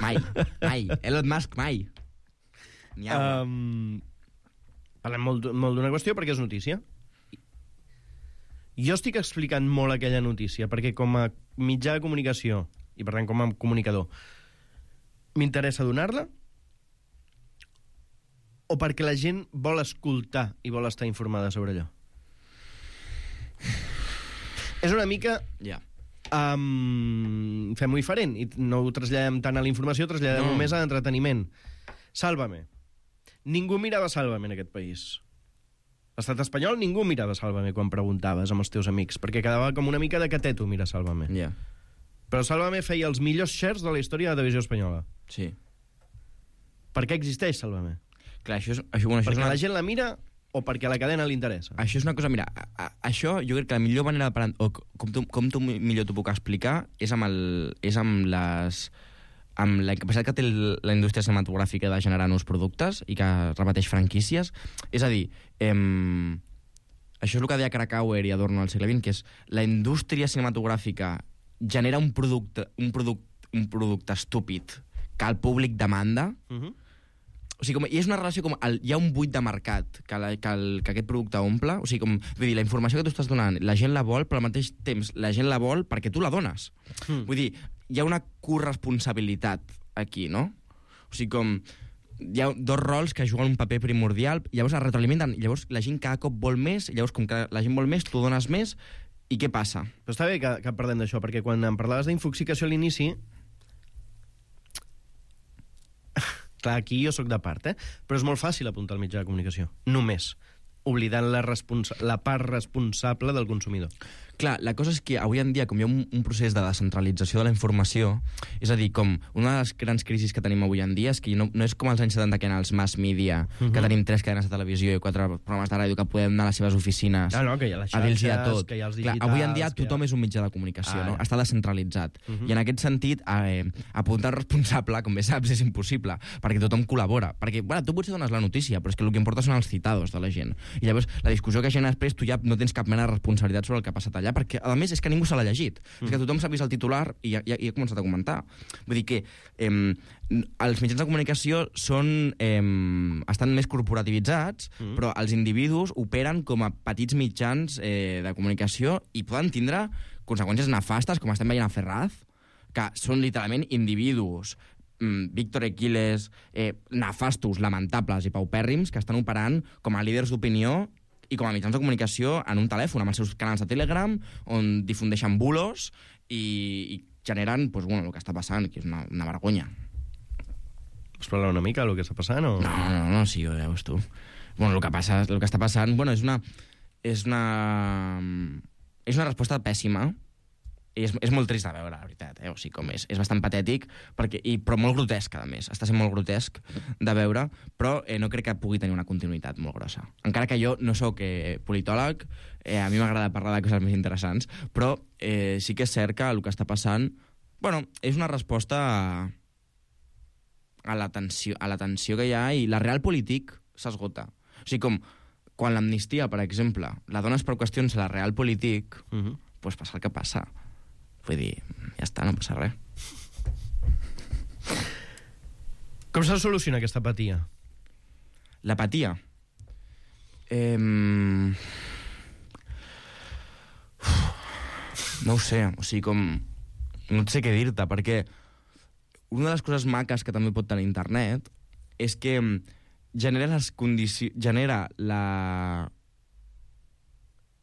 L: Mai, mai. Elon Musk, mai. N'hi ha
K: um, Parlem molt, molt d'una qüestió perquè és notícia. Jo estic explicant molt aquella notícia perquè com a mitjà de comunicació i per tant com a comunicador m'interessa donar-la o perquè la gent vol escoltar i vol estar informada sobre allò? És una mica...
L: Ja. Yeah.
K: Um, fem-ho diferent i no ho traslladem tant a la informació, traslladem no. només a l'entreteniment. Sálvame. Ningú mirava Sálvame en aquest país. L'estat espanyol ningú mirava Sálvame quan preguntaves amb els teus amics, perquè quedava com una mica de cateto mirar Sálvame.
L: Yeah.
K: Però Sálvame feia els millors shares de la història de la televisió espanyola.
L: Sí.
K: Per què existeix Sálvame?
L: Clar, això és, això, bueno, això
K: perquè
L: és una...
K: la gent la mira o perquè a la cadena li interessa?
L: Això és una cosa, mira, a, a, això jo crec que la millor manera de, o com tu, com tu millor t'ho puc explicar és amb, el, és amb les amb la capacitat que té el, la indústria cinematogràfica de generar nous productes i que repeteix franquícies. És a dir, em, això és el que deia Krakauer i Adorno al segle vint, que és la indústria cinematogràfica genera un producte, un producte, un producte estúpid que el públic demanda. Uh-huh. O sigui, com, i és una relació com... El, hi ha un buit de mercat que, la, que, el, que aquest producte omple. O sigui, com... Vull dir, la informació que tu estàs donant, la gent la vol, però al mateix temps la gent la vol perquè tu la dones. Mm. Vull dir, hi ha una corresponsabilitat aquí, no? O sigui, com... Hi ha dos rols que juguen un paper primordial, llavors es retroalimenten, llavors la gent cada cop vol més, llavors com que la gent vol més, tu dones més, i què passa?
K: Però està bé que, que parlem d'això, perquè quan em parlaves d'infoxicació a l'inici... Clar, aquí jo sóc de part, eh? Però és molt fàcil apuntar al mitjà de comunicació. Només. Oblidant la, responsa- la part responsable del consumidor.
L: Clar, la cosa és que avui en dia, com hi ha un, un procés de descentralització de la informació, és a dir, com una de les grans crisis que tenim avui en dia és que no, no és com als anys setanta que en els mass media, uh-huh. que tenim tres cadenes de televisió i quatre programes de ràdio que podem anar a les seves oficines
K: ah, no, que hi ha les xarxes,
L: a dir-los de tot.
K: que hi ha els
L: Clar,
K: digitals...
L: avui en dia tothom
K: ha...
L: és un mitjà de comunicació,
K: ah,
L: no?
K: ja.
L: Està descentralitzat.
K: Uh-huh.
L: I en aquest sentit, eh, apuntar responsable, com bé saps, és impossible, perquè tothom col·labora. Perquè, bueno, tu potser dones la notícia, però és que el que importa són els citados de la gent. I llavors, la discussió que genera després, tu ja no tens cap mena de responsabilitat sobre el que ha passat allà, perquè, a més, és que ningú se l'ha llegit. Mm. És que tothom s'ha vist el titular i ja, ja, ja ha començat a comentar. Vull dir que eh, els mitjans de comunicació són, eh, estan més corporativitzats, mm. però els individus operen com a petits mitjans eh, de comunicació i poden tindre conseqüències nefastes, com estem veient a Ferraz, que són literalment individus mm, Víctor Equiles, eh, nefastos, lamentables i paupèrrims, que estan operant com a líders d'opinió i com a mitjans de comunicació en un telèfon, amb els seus canals de Telegram, on difundeixen bulos i, i generen pues, bueno, el que està passant, que és una, una vergonya.
K: Vols parlar una mica del que està passant? O...
L: No, no, no, sí, ho veus tu. Bueno, el que, passa, el que està passant bueno, és una... És una, és una resposta pèssima. I és, és molt trist de veure, la veritat, eh? O sigui, com és, és bastant patètic, perquè, i, però molt grotesc, a més. Està sent molt grotesc de veure, però eh, no crec que pugui tenir una continuïtat molt grossa. Encara que jo no sóc eh, politòleg, eh, a mi m'agrada parlar de coses més interessants, però eh, sí que és cert que el que està passant, bueno, és una resposta a, a la tensió, a la tensió que hi ha, i la real polític s'esgota. O sigui, com quan l'amnistia, per exemple, la dones per qüestions a la real polític, uh-huh. pues passa el que passa. Vull dir, ja està, no passa res.
K: Com s'ha de solucionar aquesta apatia?
L: L'apatia? Eh... No ho sé, o sigui, com... No sé què dir-te, perquè una de les coses maques que també pot tenir internet és que genera les condicions... genera la...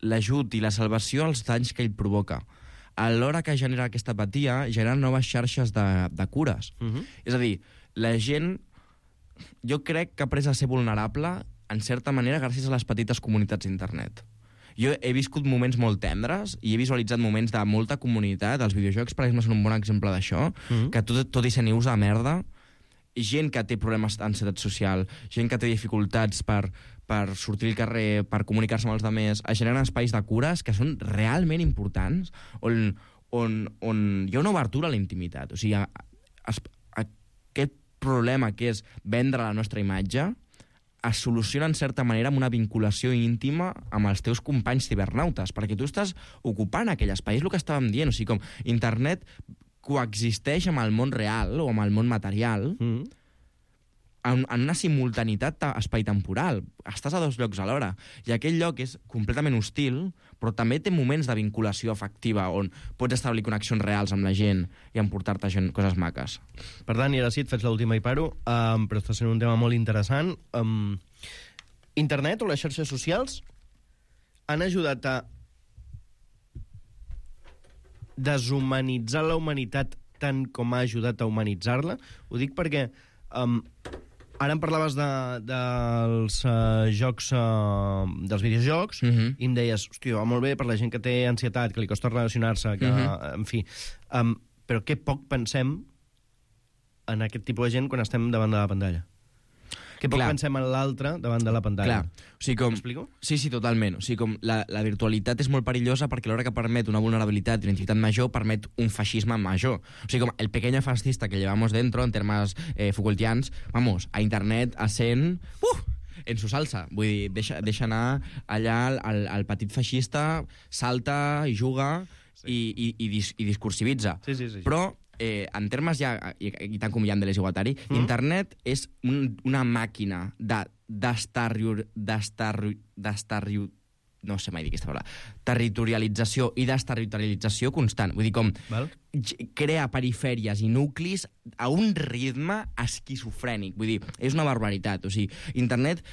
L: l'ajut i la salvació als danys que ell provoca. A l'hora que genera aquesta apatia, genera noves xarxes de, de cures. Uh-huh. És a dir, la gent, jo crec que ha après a ser vulnerable, en certa manera, gràcies a les petites comunitats d'internet. Jo he viscut moments molt tendres i he visualitzat moments de molta comunitat. Els videojocs, per exemple, són un bon exemple d'això, uh-huh. que tot, tot i ser nius de merda, gent que té problemes d'ansietat social, gent que té dificultats per, per sortir al carrer, per comunicar-se amb els altres, es generen espais de cures que són realment importants, on, on, on hi ha una obertura a la intimitat. O sigui, a, a, a, aquest problema que és vendre la nostra imatge es soluciona en certa manera amb una vinculació íntima amb els teus companys cibernautes, perquè tu estàs ocupant aquell espai. És el que estàvem dient, o sigui, com internet coexisteix amb el món real o amb el món material mm. en, en una simultanitat espai-temporal. Estàs a dos llocs alhora. I aquell lloc és completament hostil, però també té moments de vinculació afectiva on pots establir connexions reals amb la gent i emportar-te gent, coses maques.
K: Per tant, i ara sí, et faig l'última i paro, um, però està sent un tema molt interessant. Um, internet o les xarxes socials han ajudat a deshumanitzar la humanitat tant com ha ajudat a humanitzar-la. Ho dic perquè um, ara em parlaves de, dels uh, jocs, uh, dels videojocs, uh-huh. i em deies, hòstia, va molt bé per la gent que té ansietat, que li costa relacionar-se, que, uh-huh. en fi. Um, però que poc pensem en aquest tipus de gent quan estem davant de la pantalla. Que poc Clar. pensem en l'altre davant de la pantalla.
L: Clar. O sigui, com...
K: M'explico?
L: Sí, sí, totalment. O sigui, com la, la virtualitat és molt perillosa perquè a l'hora que permet una vulnerabilitat i una identitat major, permet un feixisme major. O sigui, com el pequeño fascista que llevamos dentro, en termes eh, Foucaultians, vamos, a internet ascent... Uh! en su salsa. Vull dir, deixa, deixa anar allà el, el petit feixista, salta i juga sí. i, i, i, dis, i discursivitza.
K: Sí, sí, sí.
L: Però Eh, en termes ja, i, i tant com hi ha de desigualtari, mm. internet és un, una màquina de destarriu, destarriu, destarriu, no sé mai dir aquesta paraula, territorialització i desterritorialització constant. Vull dir, com Val. crea perifèries i nuclis a un ritme esquizofrènic. Vull dir, és una barbaritat. O sigui, internet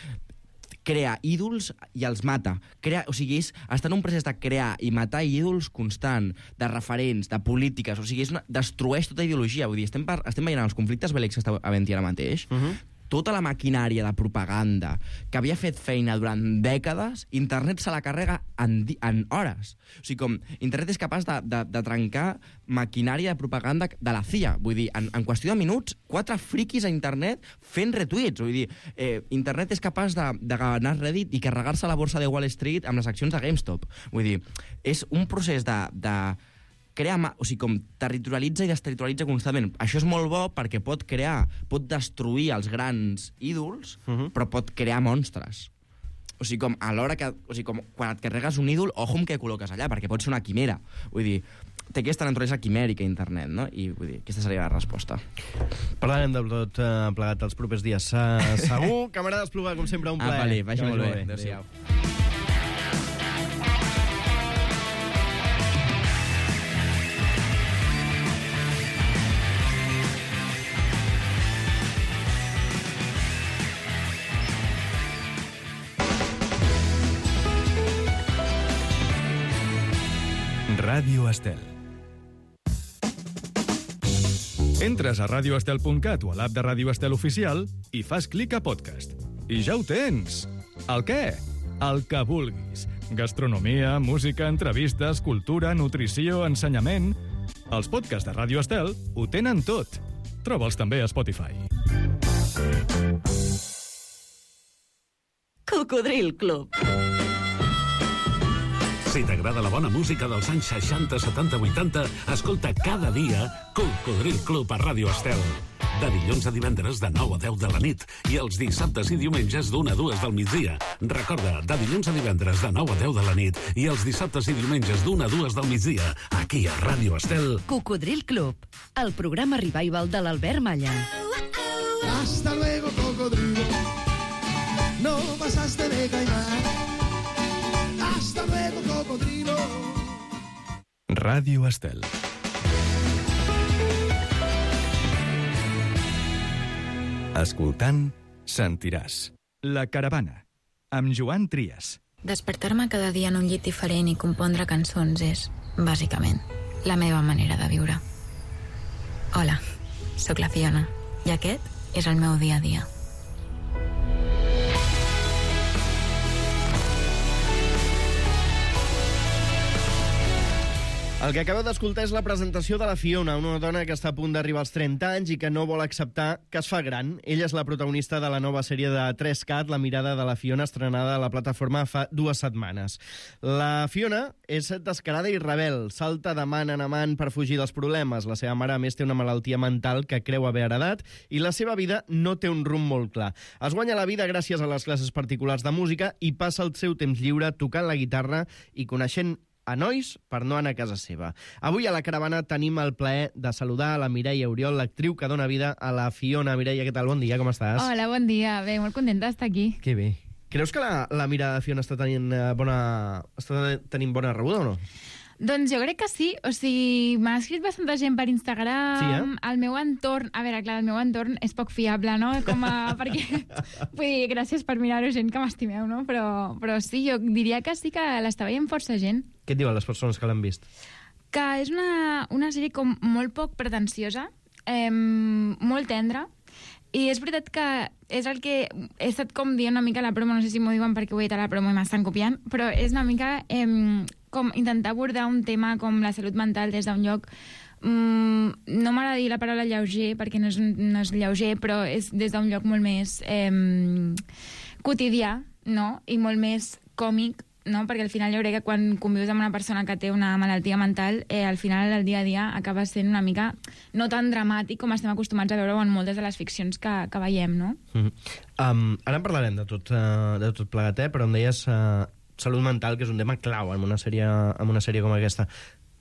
L: crea ídols i els mata. Crea, o sigui, és, està en un procés de crear i matar ídols constant, de referents, de polítiques, o sigui, és una, destrueix tota ideologia. Vull dir, estem, per, estem veient els conflictes bèl·lics que està havent-hi ara mateix, uh-huh. tota la maquinària de propaganda que havia fet feina durant dècades, internet se la carrega en, en hores. O sigui, com internet és capaç de, de, de trencar maquinària de propaganda de la C I A. Vull dir, en, en qüestió de minuts, quatre friquis a internet fent retuits. Vull dir, eh, internet és capaç de, de ganar Reddit i carregar-se a la borsa de Wall Street amb les accions de GameStop. Vull dir, és un procés de... de crea, o sigui, com territorialitza i desterritorialitza constantment. Això és molt bo perquè pot crear, pot destruir els grans ídols, uh-huh. però pot crear monstres. O sigui, com a l'hora que... O sigui, com quan et carregues un ídol, ojo amb què col·loques allà, perquè pot ser una quimera. Vull dir, té aquesta naturalesa quimèrica internet, no? I vull dir, aquesta seria la resposta.
K: Parlarem del tot uh, plegat els propers dies. Uh, segur, camarada Espluga, com sempre, un plaer.
L: Ah, vale, vagi molt bé.
K: Adéu-siau.
A: Ràdio Estel. Entres a radio estel punt cat o a l'app de Ràdio Estel oficial i fas clic a podcast. I ja ho tens! El què? El que vulguis. Gastronomia, música, entrevistes, cultura, nutrició, ensenyament... Els podcasts de Ràdio Estel ho tenen tot. Troba'ls també a Spotify.
H: Cocodril Club.
I: Si t'agrada la bona música dels anys seixanta, setanta, vuitanta, escolta cada dia Cocodril Club a Ràdio Estel. De dilluns a divendres de nou a deu de la nit i els dissabtes i diumenges d'una a dues del migdia. Recorda, de dilluns a divendres de nou a deu de la nit i els dissabtes i diumenges d'una a dues del migdia, aquí a Ràdio Estel.
H: Cocodril Club, el programa revival de l'Albert Malla.
M: Hasta luego, cocodrilo. No pasaste de caimán. Hasta luego, cocodrilo.
A: Ràdio Estel. Escoltant, sentiràs. La caravana, amb Joan Trias.
N: Despertar-me cada dia en un llit diferent i compondre cançons és, bàsicament, la meva manera de viure. Hola, sóc la Fiona, i aquest és el meu dia a dia.
K: El que acabeu d'escoltar és la presentació de la Fiona, una dona que està a punt d'arribar als trenta anys i que no vol acceptar que es fa gran. Ella és la protagonista de la nova sèrie de tres cat, La mirada de la Fiona, estrenada a la plataforma fa dues setmanes. La Fiona és descarada i rebel, salta de man en amant per fugir dels problemes. La seva mare, a més, té una malaltia mental que creu haver heredat i la seva vida no té un rumb molt clar. Es guanya la vida gràcies a les classes particulars de música i passa el seu temps lliure tocant la guitarra i coneixent a nois per no anar a casa seva. Avui a la caravana tenim el plaer de saludar a la Mireia Oriol, l'actriu que dona vida a la Fiona. Mireia, què tal? Bon dia, com estàs?
O: Hola, bon dia. Bé, molt contenta d'estar aquí.
K: Que bé. Creus que la, la mirada de Fiona està tenint eh, bona, està tenint bona rebuda o no?
O: Doncs jo crec que sí. O sigui, m'ha escrit bastanta gent per Instagram.
K: Sí, eh?
O: El meu entorn... A veure, clar, el meu entorn és poc fiable, no? Com a... perquè... Vull dir, gràcies per mirar-ho, gent que m'estimeu, no? Però, però sí, jo diria que sí que l'està veient força gent.
K: Què et diuen les persones que l'han vist?
O: Que és una, una sèrie com molt poc pretensiosa, eh, molt tendra, i és veritat que és el que he estat com dient una mica a la promo, no sé si m'ho diuen perquè ho he dit a la promo i m'estan copiant, però és una mica eh, com intentar abordar un tema com la salut mental des d'un lloc, mm, no m'agrada dir la paraula lleuger perquè no és, no és lleuger, però és des d'un lloc molt més eh, quotidià, no? I molt més còmic, no? Perquè al final jo crec que quan convius amb una persona que té una malaltia mental, eh, al final el dia a dia acaba sent una mica no tan dramàtic com estem acostumats a veure en moltes de les ficcions que, que veiem, no?
K: Mm-hmm. um, ara en parlarem de tot, uh, de tot plegat, eh? Però em deies uh, salut mental, que és un tema clau en una sèrie, en una sèrie com aquesta.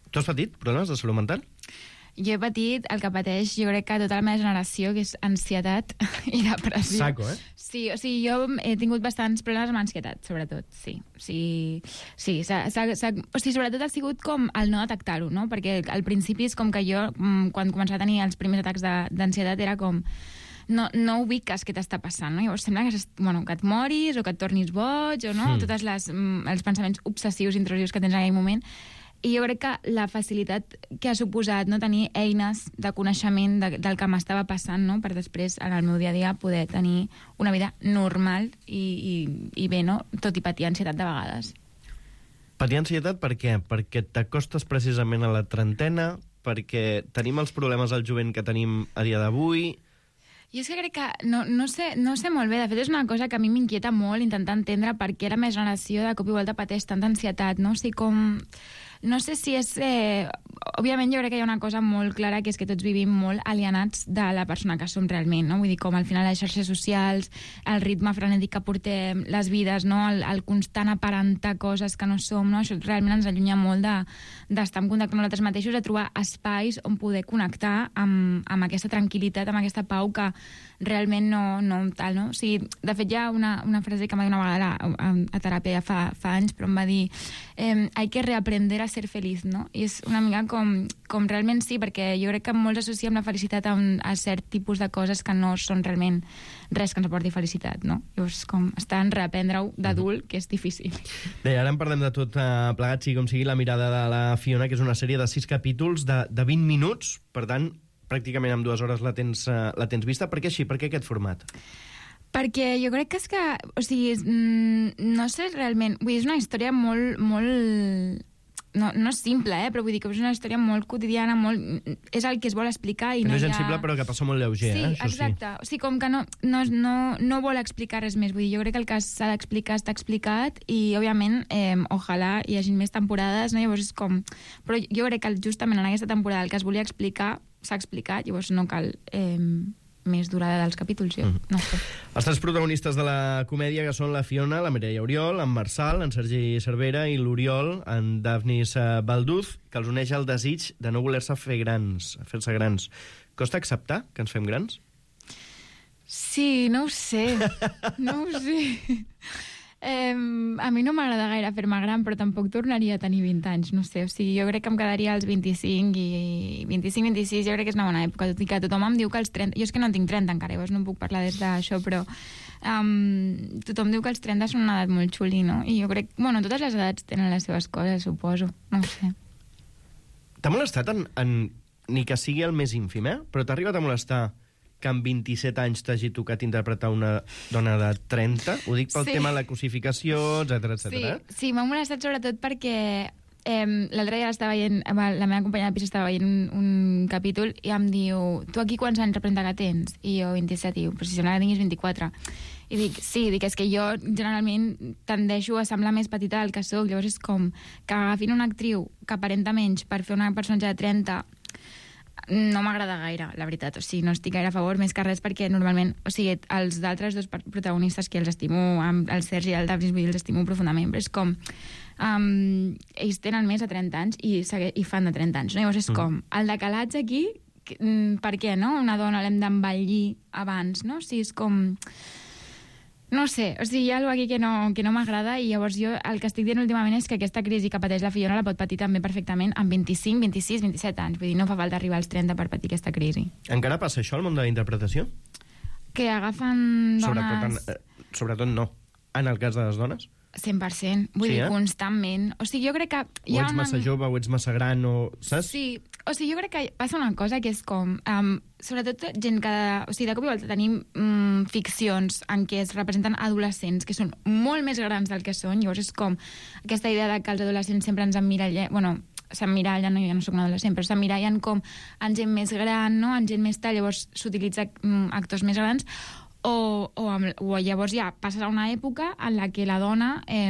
K: Tu has patit problemes de salut mental?
O: Jo he patit el que pateix, jo crec que tota la meva generació, que és ansietat i depressió.
K: Saco, eh?
O: Sí, o sigui, jo he tingut bastants problemes amb ansietat, sobretot, sí. Sí, sí s'ha, s'ha, s'ha, o sigui, sobretot ha sigut com el no detectar-ho, no? Perquè al principi és com que jo, quan començava a tenir els primers atacs d'ansietat, era com... no, no ubiques què t'està passant, no? Llavors sembla que, bueno, que et moris o que et tornis boig o no, mm. tots els pensaments obsessius, intrusius que tens en aquell moment. I jo crec que la facilitat que ha suposat no, tenir eines de coneixement de, del que m'estava passant, no, per després, en el meu dia a dia, poder tenir una vida normal i, i, i bé, no? Tot i patir ansietat de vegades.
K: Patir ansietat per què? Perquè t'acostes precisament a la trentena, perquè tenim els problemes al jovent que tenim a dia d'avui.
O: Jo és que crec que no, no, sé, no sé molt bé. De fet, és una cosa que a mi m'inquieta molt intentar entendre per què la meva generació de cop i volta pateix tanta ansietat, no? O sigui, com... No sé si és... Eh... Òbviament jo crec que hi ha una cosa molt clara, que és que tots vivim molt alienats de la persona que som realment, no? Vull dir, com al final les xarxes socials, el ritme frenètic que portem, les vides, no? El, el constant aparentar coses que no som, no? Això realment ens allunya molt de, d'estar en contacte amb nosaltres mateixos, de trobar espais on poder connectar amb, amb aquesta tranquil·litat, amb aquesta pau que realment no, no tal, no? O sigui, de fet, hi ha una, una frase que m'ha dit una vegada a, a, a teràpia ja fa, fa anys, però em va dir eh, hay que reaprender a ser feliç, no? I és una mica com, com realment sí, perquè jo crec que molts associem la felicitat a, un, a cert tipus de coses que no són realment res que ens aporti felicitat, no? Llavors, com estar en reaprendre-ho d'adult, que és difícil.
K: Bé, ara en parlem de tot uh, plegat, sigui com sigui, la mirada de la Fiona, que és una sèrie de sis capítols de, de vint minuts, per tant, pràcticament en dues hores la tens, uh, la tens vista. Per què així? Per què aquest format?
O: Perquè jo crec que és que... O sigui, no sé realment... Vull dir, és una història molt... molt no, no és simple, eh? Però vull dir que és una història molt quotidiana, molt... És el que es vol explicar i
K: que
O: no,
K: no és
O: hi ha...
K: sensible, però que passa molt lleuger,
O: sí,
K: eh? Això
O: exacte.
K: Sí,
O: o sigui, com que no, no, no, no vol explicar res més. Vull dir, jo crec que el que s'ha d'explicar està explicat i, òbviament, eh, ojalà hi hagi més temporades, no? Llavors és com... Però jo crec que justament en aquesta temporada el que es volia explicar s'ha explicat, llavors no cal eh, més durada dels capítols, jo. Mm. No sé.
K: Els tres protagonistes de la comèdia, que són la Fiona, la Mireia Oriol, en Marçal, en Sergi Cervera, i l'Oriol, en Dafnis Balduz, que els uneix el desig de no voler-se fer grans, fer-se grans. Costa acceptar que ens fem grans?
O: Sí, no ho sé. No ho sé. Eh, a mi no m'agrada gaire fer-me gran, però tampoc tornaria a tenir vint anys, no sé, o sigui, jo crec que em quedaria als vint-i-cinc i vint-i-cinc vint-i-sis, jo crec que és una bona època, tot i que tothom em diu que als trenta, jo és que no en tinc trenta encara, llavors no puc parlar des d'això, però um, tothom diu que els trenta són una edat molt xuli, no? I jo crec, bueno, totes les edats tenen les seves coses, suposo, no ho sé.
K: T'ha molestat en, en, ni que sigui el més ínfim, eh? Però t'ha arribat a molestar que amb vint-i-set anys t'hagi tocat interpretar una dona de trenta? Ho dic pel sí. tema de la cosificació, etcètera, etcètera.
O: Sí, sí, m'ha molestat sobretot perquè eh, l'altre dia estava veient, la meva companya de pis estava veient un, un capítol i em diu, tu aquí quants anys representa que tens? I jo vint-i-set, i diu, però si sembla que tinguis vint-i-quatre. I dic, sí, dic, és que jo generalment tendeixo a semblar més petita del que soc, llavors és com que agafin una actriu que aparenta menys per fer una personatge de trenta no m'agrada gaire, la veritat. O sigui, no estic gaire a favor, més que res perquè normalment, o sigui, els d'altres dos protagonistes que els estimo, el Sergi i el Dafnis, els estimo profundament, però és com um, ells tenen més de trenta anys i, i fan de trenta anys, no? Llavors és mm. com, el decalatge aquí, per què, no? Una dona l'hem d'envellir abans, no? O sigui, és com... No sé, o sigui, hi ha alguna cosa aquí que no, que no m'agrada i llavors jo el que estic dient últimament és que aquesta crisi que pateix la Fiona la pot patir també perfectament amb vint-i-cinc, vint-i-sis, vint-i-set anys. Vull dir, no fa falta arribar als trenta per patir aquesta crisi.
K: Encara passa això al món de la interpretació?
O: Que agafen dones...
K: Sobretot, en, eh, sobretot no. En el cas de les dones?
O: cent per cent. Vull sí, dir, eh? Constantment. O sigui, jo crec que...
K: Hi ha o ets una... massa jove, o ets massa gran, o... Saps?
O: Sí, o sigui, jo crec que passa una cosa que és com... Um, sobretot gent que... O sigui, de cop i volta tenim um, ficcions en què es representen adolescents que són molt més grans del que són. Llavors és com aquesta idea de que els adolescents sempre ens emmirallen... Bueno, s'emmirallen, no, jo no soc un adolescent, però s'emmirallen com en gent més gran, no? En gent més tal, llavors s'utilitza um, actors més grans. O, o, amb, o llavors ja passes a una època en la que la dona eh,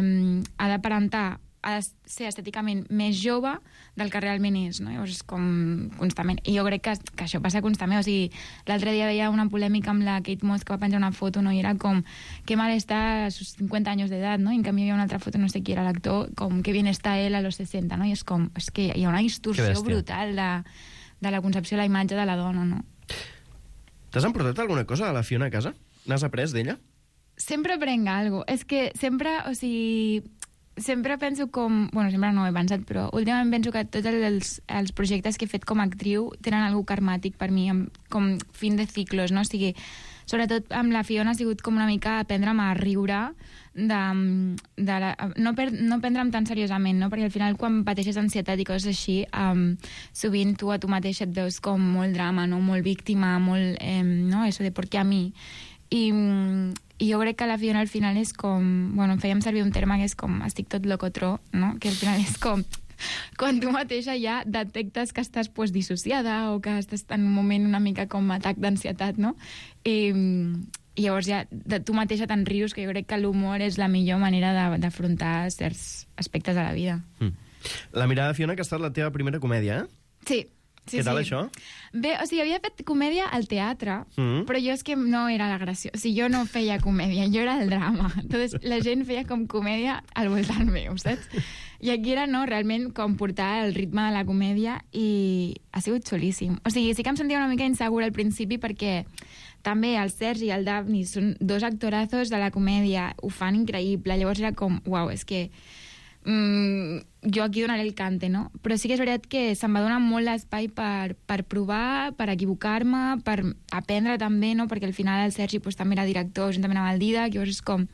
O: ha d'aparentar, ha de ser estèticament més jove del que realment és, no? Llavors és com constantment. I jo crec que, que això passa constantment. O sigui, l'altre dia veia una polèmica amb la Kate Moss que va penjar una foto, no? I era com, que mal està a sus cinquanta anys d'edat, no? I en canvi hi havia una altra foto, no sé qui era l'actor, com que bien està ell a los sesenta, no? I és com, és que hi ha una distorsió brutal de, de la concepció de la imatge de la dona, no?
K: T'has emportat alguna cosa de la Fiona a casa? N'has après d'ella?
O: Sempre aprenc alguna cosa. És que sempre, o sigui... sempre penso com... Bueno, sempre no ho he pensat, però últimament penso que tots els, els projectes que he fet com a actriu tenen algú karmàtic per mi, com fin de ciclos, no? O sigui, sobretot amb la Fiona ha sigut com una mica aprendre'm a riure, de, de la, no, per, no prendre'm tan seriosament, no? Perquè al final quan pateixes ansietat i coses així, um, sovint tu a tu mateix et veus com molt drama, no? Molt víctima, molt... Eh, no? Eso de por qué a mi... I, i jo crec que la Fiona al final és com... Bueno, fèiem servir un terme que és com estic tot locotró, no? Que al final és com... Quan tu mateixa ja detectes que estàs pues, dissociada o que estàs en un moment una mica com atac d'ansietat, no? I, i llavors ja de tu mateixa te'n rius, que jo crec que l'humor és la millor manera d'afrontar certs aspectes de la vida.
K: Mm. La mirada, Fiona, que ha estat la teva primera comèdia, eh?
O: Sí. Sí,
K: Què tal,
O: sí.
K: això?
O: Bé, o sigui, havia fet comèdia al teatre,
K: Mm.
O: però jo és que no era la graciosa. O sigui, jo no feia comèdia, jo era el drama. Entonces, la gent feia com comèdia al voltant meu, saps? I aquí era, no, realment, com portar el ritme de la comèdia i ha sigut xulíssim. O sigui, sí que em sentia una mica insegura al principi perquè també el Sergi i el Daphne són dos actorazos de la comèdia, ho fan increïble. Llavors era com, uau, és que... Mm, jo aquí donaré el cante, no? Però sí que és veritat que se'm va donar molt l'espai per, per provar, per equivocar-me, per aprendre també, no? Perquè al final el Sergi pues, també era director juntament amb el Didac, llavors és com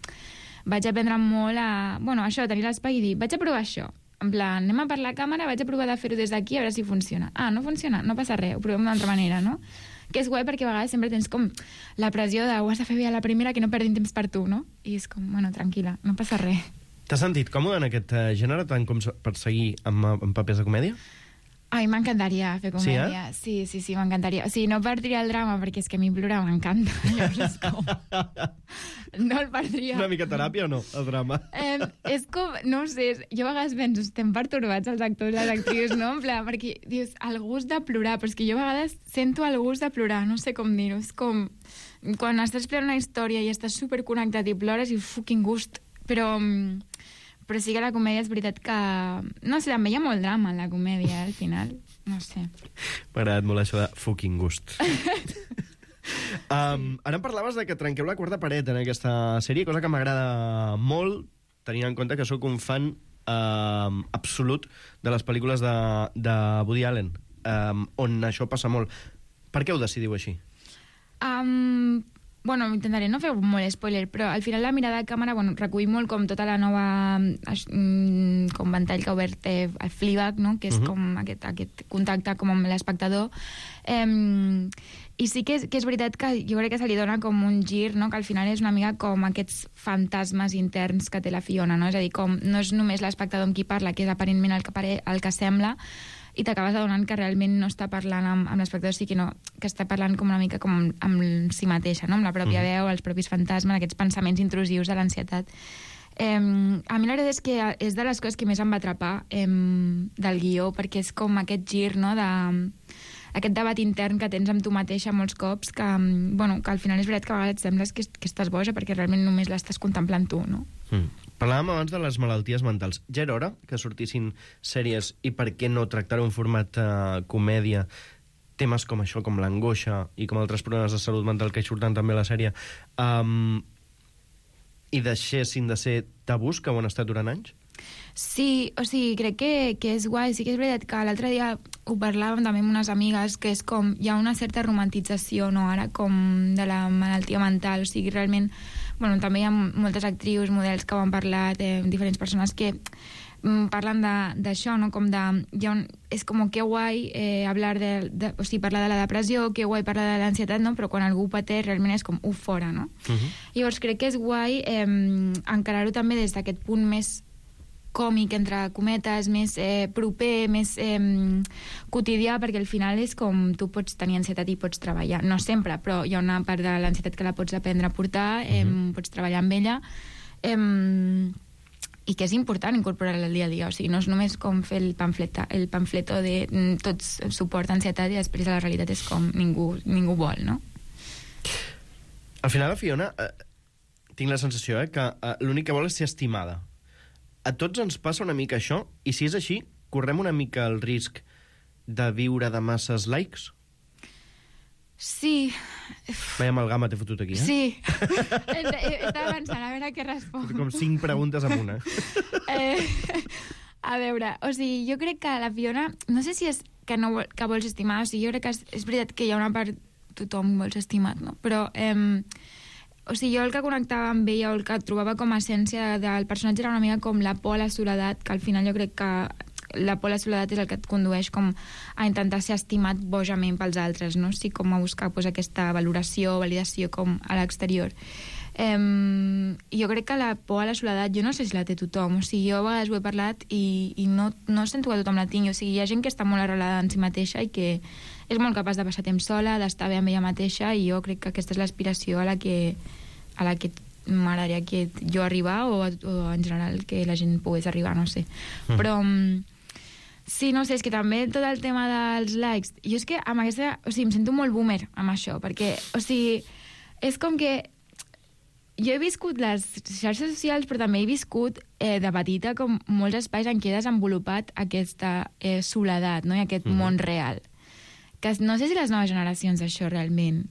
O: vaig aprendre molt a, bueno, això, a tenir l'espai i dir, vaig a provar això, en plan, anem a per la càmera, vaig a provar de fer-ho des d'aquí a veure si funciona. Ah, no funciona, no passa res, ho provem d'una altra manera, no? Que és guai perquè a vegades sempre tens com la pressió de ho has de fer bé a la primera, que no perdin temps per tu, no? I és com, bueno, tranquil·la, no passa res.
K: T'has sentit còmode en aquest uh, gènere tant com per seguir amb, amb papers de comèdia?
O: A mi m'encantaria fer comèdia.
K: Sí, eh?
O: Sí, sí, sí, m'encantaria. O sigui, no perdria el drama, perquè és que a mi plorar m'encanta. Llavors és com... No el perdria.
K: Una mica teràpia o no, el drama?
O: Eh, és com, no ho sé, jo a vegades penso, estem pertorbats els actors i les actrius, no? En plan, perquè dius, el gust de plorar, però és que jo a vegades sento el gust de plorar, no sé com dir-ho. És com, quan estàs plorant una història i estàs superconnectat i plores i fucking gust. Però... Però sí que la comèdia és veritat que... No sé, també hi ha molt drama en la comèdia, al final. No sé.
K: M'ha agradat molt això de fucking gust. um, ara em parlaves de que trenqueu la quarta paret en aquesta sèrie, cosa que m'agrada molt, tenint en compte que sóc un fan um, absolut de les pel·lícules de, de Woody Allen, um, on això passa molt. Per què ho decidiu així?
O: Um... Bueno, intentaré no fer molt spoiler, però al final la mirada de càmera, bueno, recull molt com tota la nova mm, com ventall que ha obert eh, el Fleabag, no? Que és uh-huh. com aquest, aquest contacte com amb l'espectador. Eh, I sí que és, que és veritat que jo crec que se li dona com un gir, no? Que al final és una mica com aquests fantasmes interns que té la Fiona, no? És a dir, com no és només l'espectador amb qui parla, que és aparentment el que, pare, el que sembla, i t'acabes adonant que realment no està parlant amb, amb l'espectador, sinó que està parlant com una mica com amb si mateixa, no? Amb la pròpia mm. veu, els propis fantasmes, aquests pensaments intrusius de l'ansietat. Eh, a mi la veritat és que és de les coses que més em va atrapar eh, del guió, perquè és com aquest gir, no?, de, aquest debat intern que tens amb tu mateixa molts cops, que, bueno, que al final és veritat que a vegades et sembles que, que estàs boja perquè realment només l'estàs contemplant tu, no?
K: Mm. Parlàvem abans de les malalties mentals. Ja era hora que sortissin sèries i per què no tractar un format uh, comèdia, temes com això, com l'angoixa i com altres problemes de salut mental que hi surten també a la sèrie, um, i deixessin de ser tabús que ho han estat durant anys?
O: Sí, o sigui, crec que, que és guai. Sí que és veritat que l'altre dia ho parlàvem també amb unes amigues, que és com hi ha una certa romantització, no?, ara, com de la malaltia mental. O sigui, realment, bueno, també hi ha moltes actrius, models que ho han parlat, eh, diferents persones que mm, parlen d'això, no?, com de... Hi ha un, és com que guai eh, hablar de, de... O sigui, parlar de la depressió, que guai parlar de l'ansietat, no?, però quan algú ho pateix realment és com, uf, fora, no? Uh-huh. Llavors crec que és guai eh, encarar-ho també des d'aquest punt més còmic, entre cometes, més eh, proper, més eh, quotidià, perquè al final és com tu pots tenir ansietat i pots treballar. No sempre, però hi ha una part de l'ansietat que la pots aprendre a portar, eh, uh-huh. pots treballar amb ella, eh, i que és important incorporar-la al dia a dia. O sigui, no és només com fer el pamflet, el pamfleto de mm, tots suport ansietat i després la realitat és com ningú, ningú vol, no?
K: Al final, la Fiona, eh, tinc la sensació eh, que eh, l'únic que vol és ser estimada. A tots ens passa una mica això, i si és així, correm una mica el risc de viure de masses likes?
O: Sí.
K: Vaya amalgama t'he fotut aquí, eh?
O: Sí. Estava pensant a veure què responc.
K: Com cinc preguntes amb una.
O: eh, a veure, o sigui, jo crec que la Fiona, no sé si és que, no vol, que vols estimar, o sigui, jo crec que és, és veritat que hi ha una part tothom vols estimat, no? Però, eh, o sigui, jo el que connectava amb ella o el que trobava com a essència del personatge era una mica com la por a la soledat, que al final jo crec que la por a la soledat és el que et condueix com a intentar ser estimat bojament pels altres, no? Sí, com a buscar pues, aquesta valoració, validació com a l'exterior. Um, jo crec que la por a la soledat jo no sé si la té tothom, o sigui, jo a vegades ho he parlat i, i no, no sento que tothom la tingui, o sigui, hi ha gent que està molt arrelada en si mateixa i que és molt capaç de passar temps sola, d'estar bé amb ella mateixa, i jo crec que aquesta és l'aspiració a la que, a la que m'agradaria que jo arribar o, o en general que la gent pogués arribar, no sé. Mm. Però sí, no sé, és que també tot el tema dels likes, jo és que amb aquesta, o sigui, em sento molt boomer amb això, perquè, o sigui, és com que jo he viscut les xarxes socials, però també he viscut eh, de petita com molts espais en què he desenvolupat aquesta eh, soledat, no? I aquest mm-hmm. món real. Que no sé si les noves generacions això realment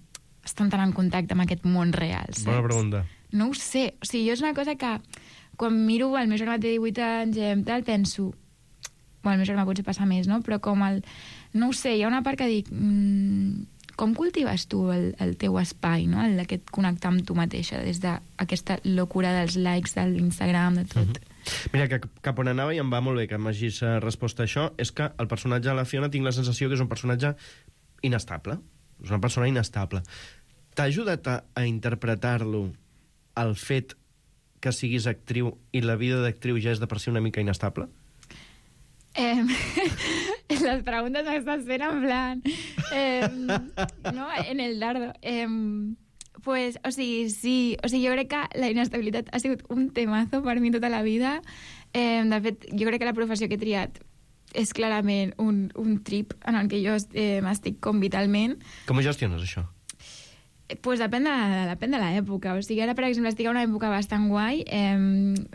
O: estan tan en contacte amb aquest món real, saps?
K: Bona pregunta.
O: No ho sé, o sigui, jo és una cosa que quan miro el meu germà té divuit anys i tal, penso, bueno, el meu germà potser passa més, no? Però com el... No ho sé, hi ha una part que dic... Mmm, com cultives tu el, el teu espai, no? El d'aquest connectar amb tu mateixa, des d'aquesta locura dels likes, de l'Instagram, de tot.
K: Mm-hmm. Mira, que cap on anava, i em va molt bé que m'hagis respost a això, és que el personatge de la Fiona tinc la sensació que és un personatge inestable. És una persona inestable. T'ha ajudat a, a interpretar-lo el fet que siguis actriu i la vida d'actriu ja és de per si una mica inestable?
O: Eh, les preguntes m'estàs fent en plan eh, no, en el dardo eh, pues, o sigui, sí, o sigui, jo crec que la inestabilitat ha sigut un temazo per mi tota la vida. Eh, de fet, jo crec que la professió que he triat és clarament un, un trip en el que jo eh, m'estic com vitalment.
K: Com ho gestiones, això?
O: Pues depèn de, depèn de l'època. O sigui, ara, per exemple, estic a una època bastant guai, eh,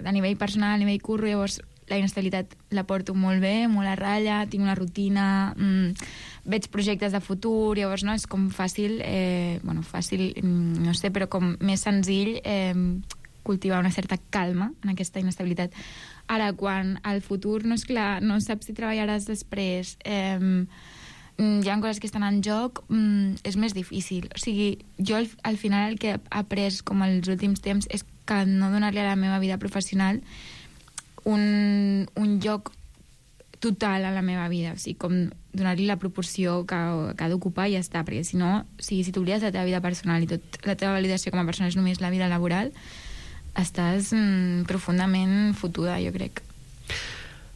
O: a nivell personal, a nivell curro, llavors la inestabilitat la porto molt bé, molt a ratlla, tinc una rutina, mmm, veig projectes de futur, llavors no, és com fàcil, eh, bueno, fàcil, no sé, però com més senzill eh, cultivar una certa calma en aquesta inestabilitat. Ara, quan al futur no és clar, no saps si treballaràs després, eh, hi ha coses que estan en joc, mm, és més difícil. O sigui, jo al, al final el que he après com els últims temps és que no donar-li a la meva vida professional un, un lloc total a la meva vida, o sigui, com donar-li la proporció que, que ha d'ocupar i ja està, perquè si no, o sigui, si t'oblides de la teva vida personal i tot la teva validació com a persona és només la vida laboral, estàs mm, profundament fotuda, jo crec.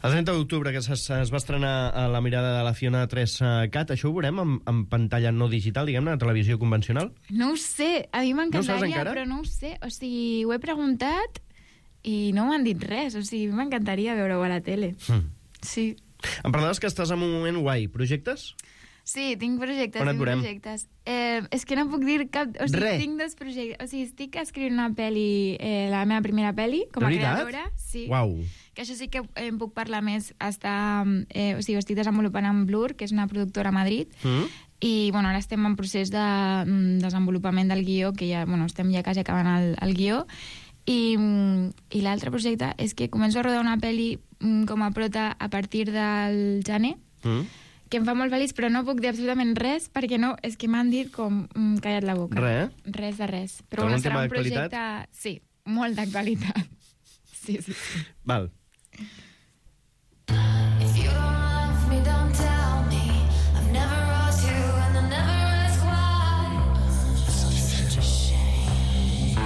K: El trenta d'octubre, que es, es va estrenar a La mirada de la Fiona tres cat, això ho veurem en, en pantalla no digital, diguem-ne, a televisió convencional?
O: No ho sé, a mi m'encantaria,
K: no
O: però no ho sé. O sigui, ho he preguntat i no m'han dit res, o sigui, m'encantaria veure-ho a la tele. Mm. Sí.
K: Em parlaves que estàs en un moment guai. Projectes?
O: Sí, tinc projectes,
K: On et
O: tinc
K: veurem?
O: projectes. Eh, és que no puc dir cap... O sigui,
K: Res.
O: tinc dos projectes. O sigui, estic escrivint una pel·li, eh, la meva primera pel·li, com a
K: De veritat?
O: creadora. Sí.
K: Uau.
O: Que això sí que em puc parlar més. Està, eh, o sigui, ho estic desenvolupant amb Blur, que és una productora a Madrid,
K: Mm.
O: i bueno, ara estem en procés de mm, desenvolupament del guió, que ja, bueno, estem ja quasi acabant el, el guió, i, i l'altre projecte és que començo a rodar una pel·li mm, com a prota a partir del gener,
K: Mm.
O: que em fa molt feliç, però no puc dir absolutament res, perquè no, és que m'han dit com mm, callat la boca.
K: Res?
O: Res de res. Però
K: Algun
O: bueno, serà
K: tema
O: un projecte...
K: d'actualitat?
O: Sí, molt d'actualitat. Sí, sí, sí.
K: Val.
J: If you don't love me, don't tell me. I've never asked you and I never ask why. Such a shame.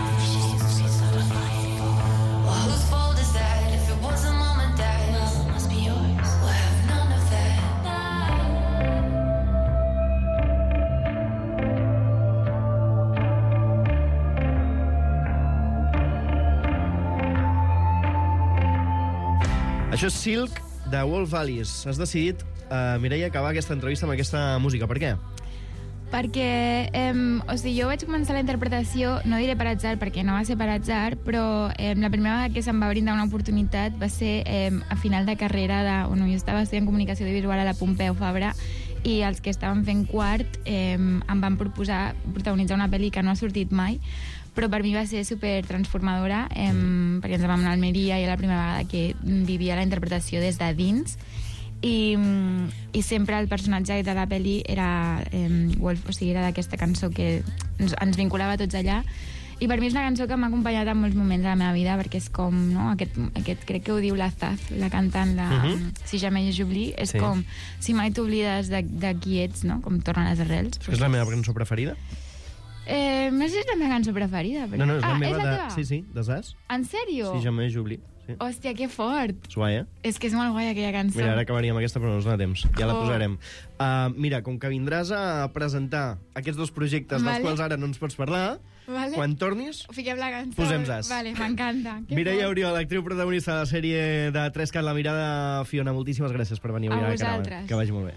J: Well, whose fault is that? If it wasn't mom and dad, well, it must be yours. We'll have none of that.
K: Això és Silk, de Wolf Alice. Has decidit, uh, Mireia, acabar aquesta entrevista amb aquesta música. Per què?
O: Perquè, eh, o sigui, jo vaig començar la interpretació, no diré per atzar, perquè no va ser per atzar, però eh, la primera vegada que se'm va brindar una oportunitat va ser eh, a final de carrera de... Bueno, jo estava estudiant comunicació audiovisual a la Pompeu Fabra i els que estaven fent quart eh, em van proposar protagonitzar una pel·li que no ha sortit mai, però per mi va ser super transformadora, eh, perquè ens vam anar a Almeria i era la primera vegada que vivia la interpretació des de dins, i, i sempre el personatge de la pel·li era eh, Wolf, o sigui, era d'aquesta cançó que ens, ens vinculava tots allà, i per mi és una cançó que m'ha acompanyat en molts moments de la meva vida, perquè és com, no, aquest, aquest crec que ho diu la Zaz, la cantant, la, uh -huh. Si jamais j'oublie, és sí. com, si mai t'oblides de, de qui ets, no? Com tornen les arrels.
K: És la meva cançó preferida?
O: Eh, no sé si és la meva cançó preferida. Però...
K: No, no, és la
O: ah,
K: meva
O: és la
K: de...
O: teva?
K: Sí, sí, de Zaz.
O: En sèrio?
K: Si jamais j'oublie. Sí.
O: Hòstia, que fort.
K: És guai, eh?
O: És que és molt guai aquella cançó.
K: Mira, ara acabaríem aquesta, però no ens dona temps. Ja la
O: Oh.
K: posarem. Uh, mira, com que vindràs a presentar aquests dos projectes
O: Vale.
K: dels quals ara no ens pots parlar,
O: Vale.
K: quan tornis,
O: Fiquem la cançó.
K: posem Zaz.
O: Vale, m'encanta. Que
K: Mireia
O: fort.
K: Oriol, actriu protagonista de la sèrie de Tres Cat la mirada. Fiona, moltíssimes gràcies per venir avui
O: A
K: a Carava.
O: vosaltres.
K: Que vagi molt bé.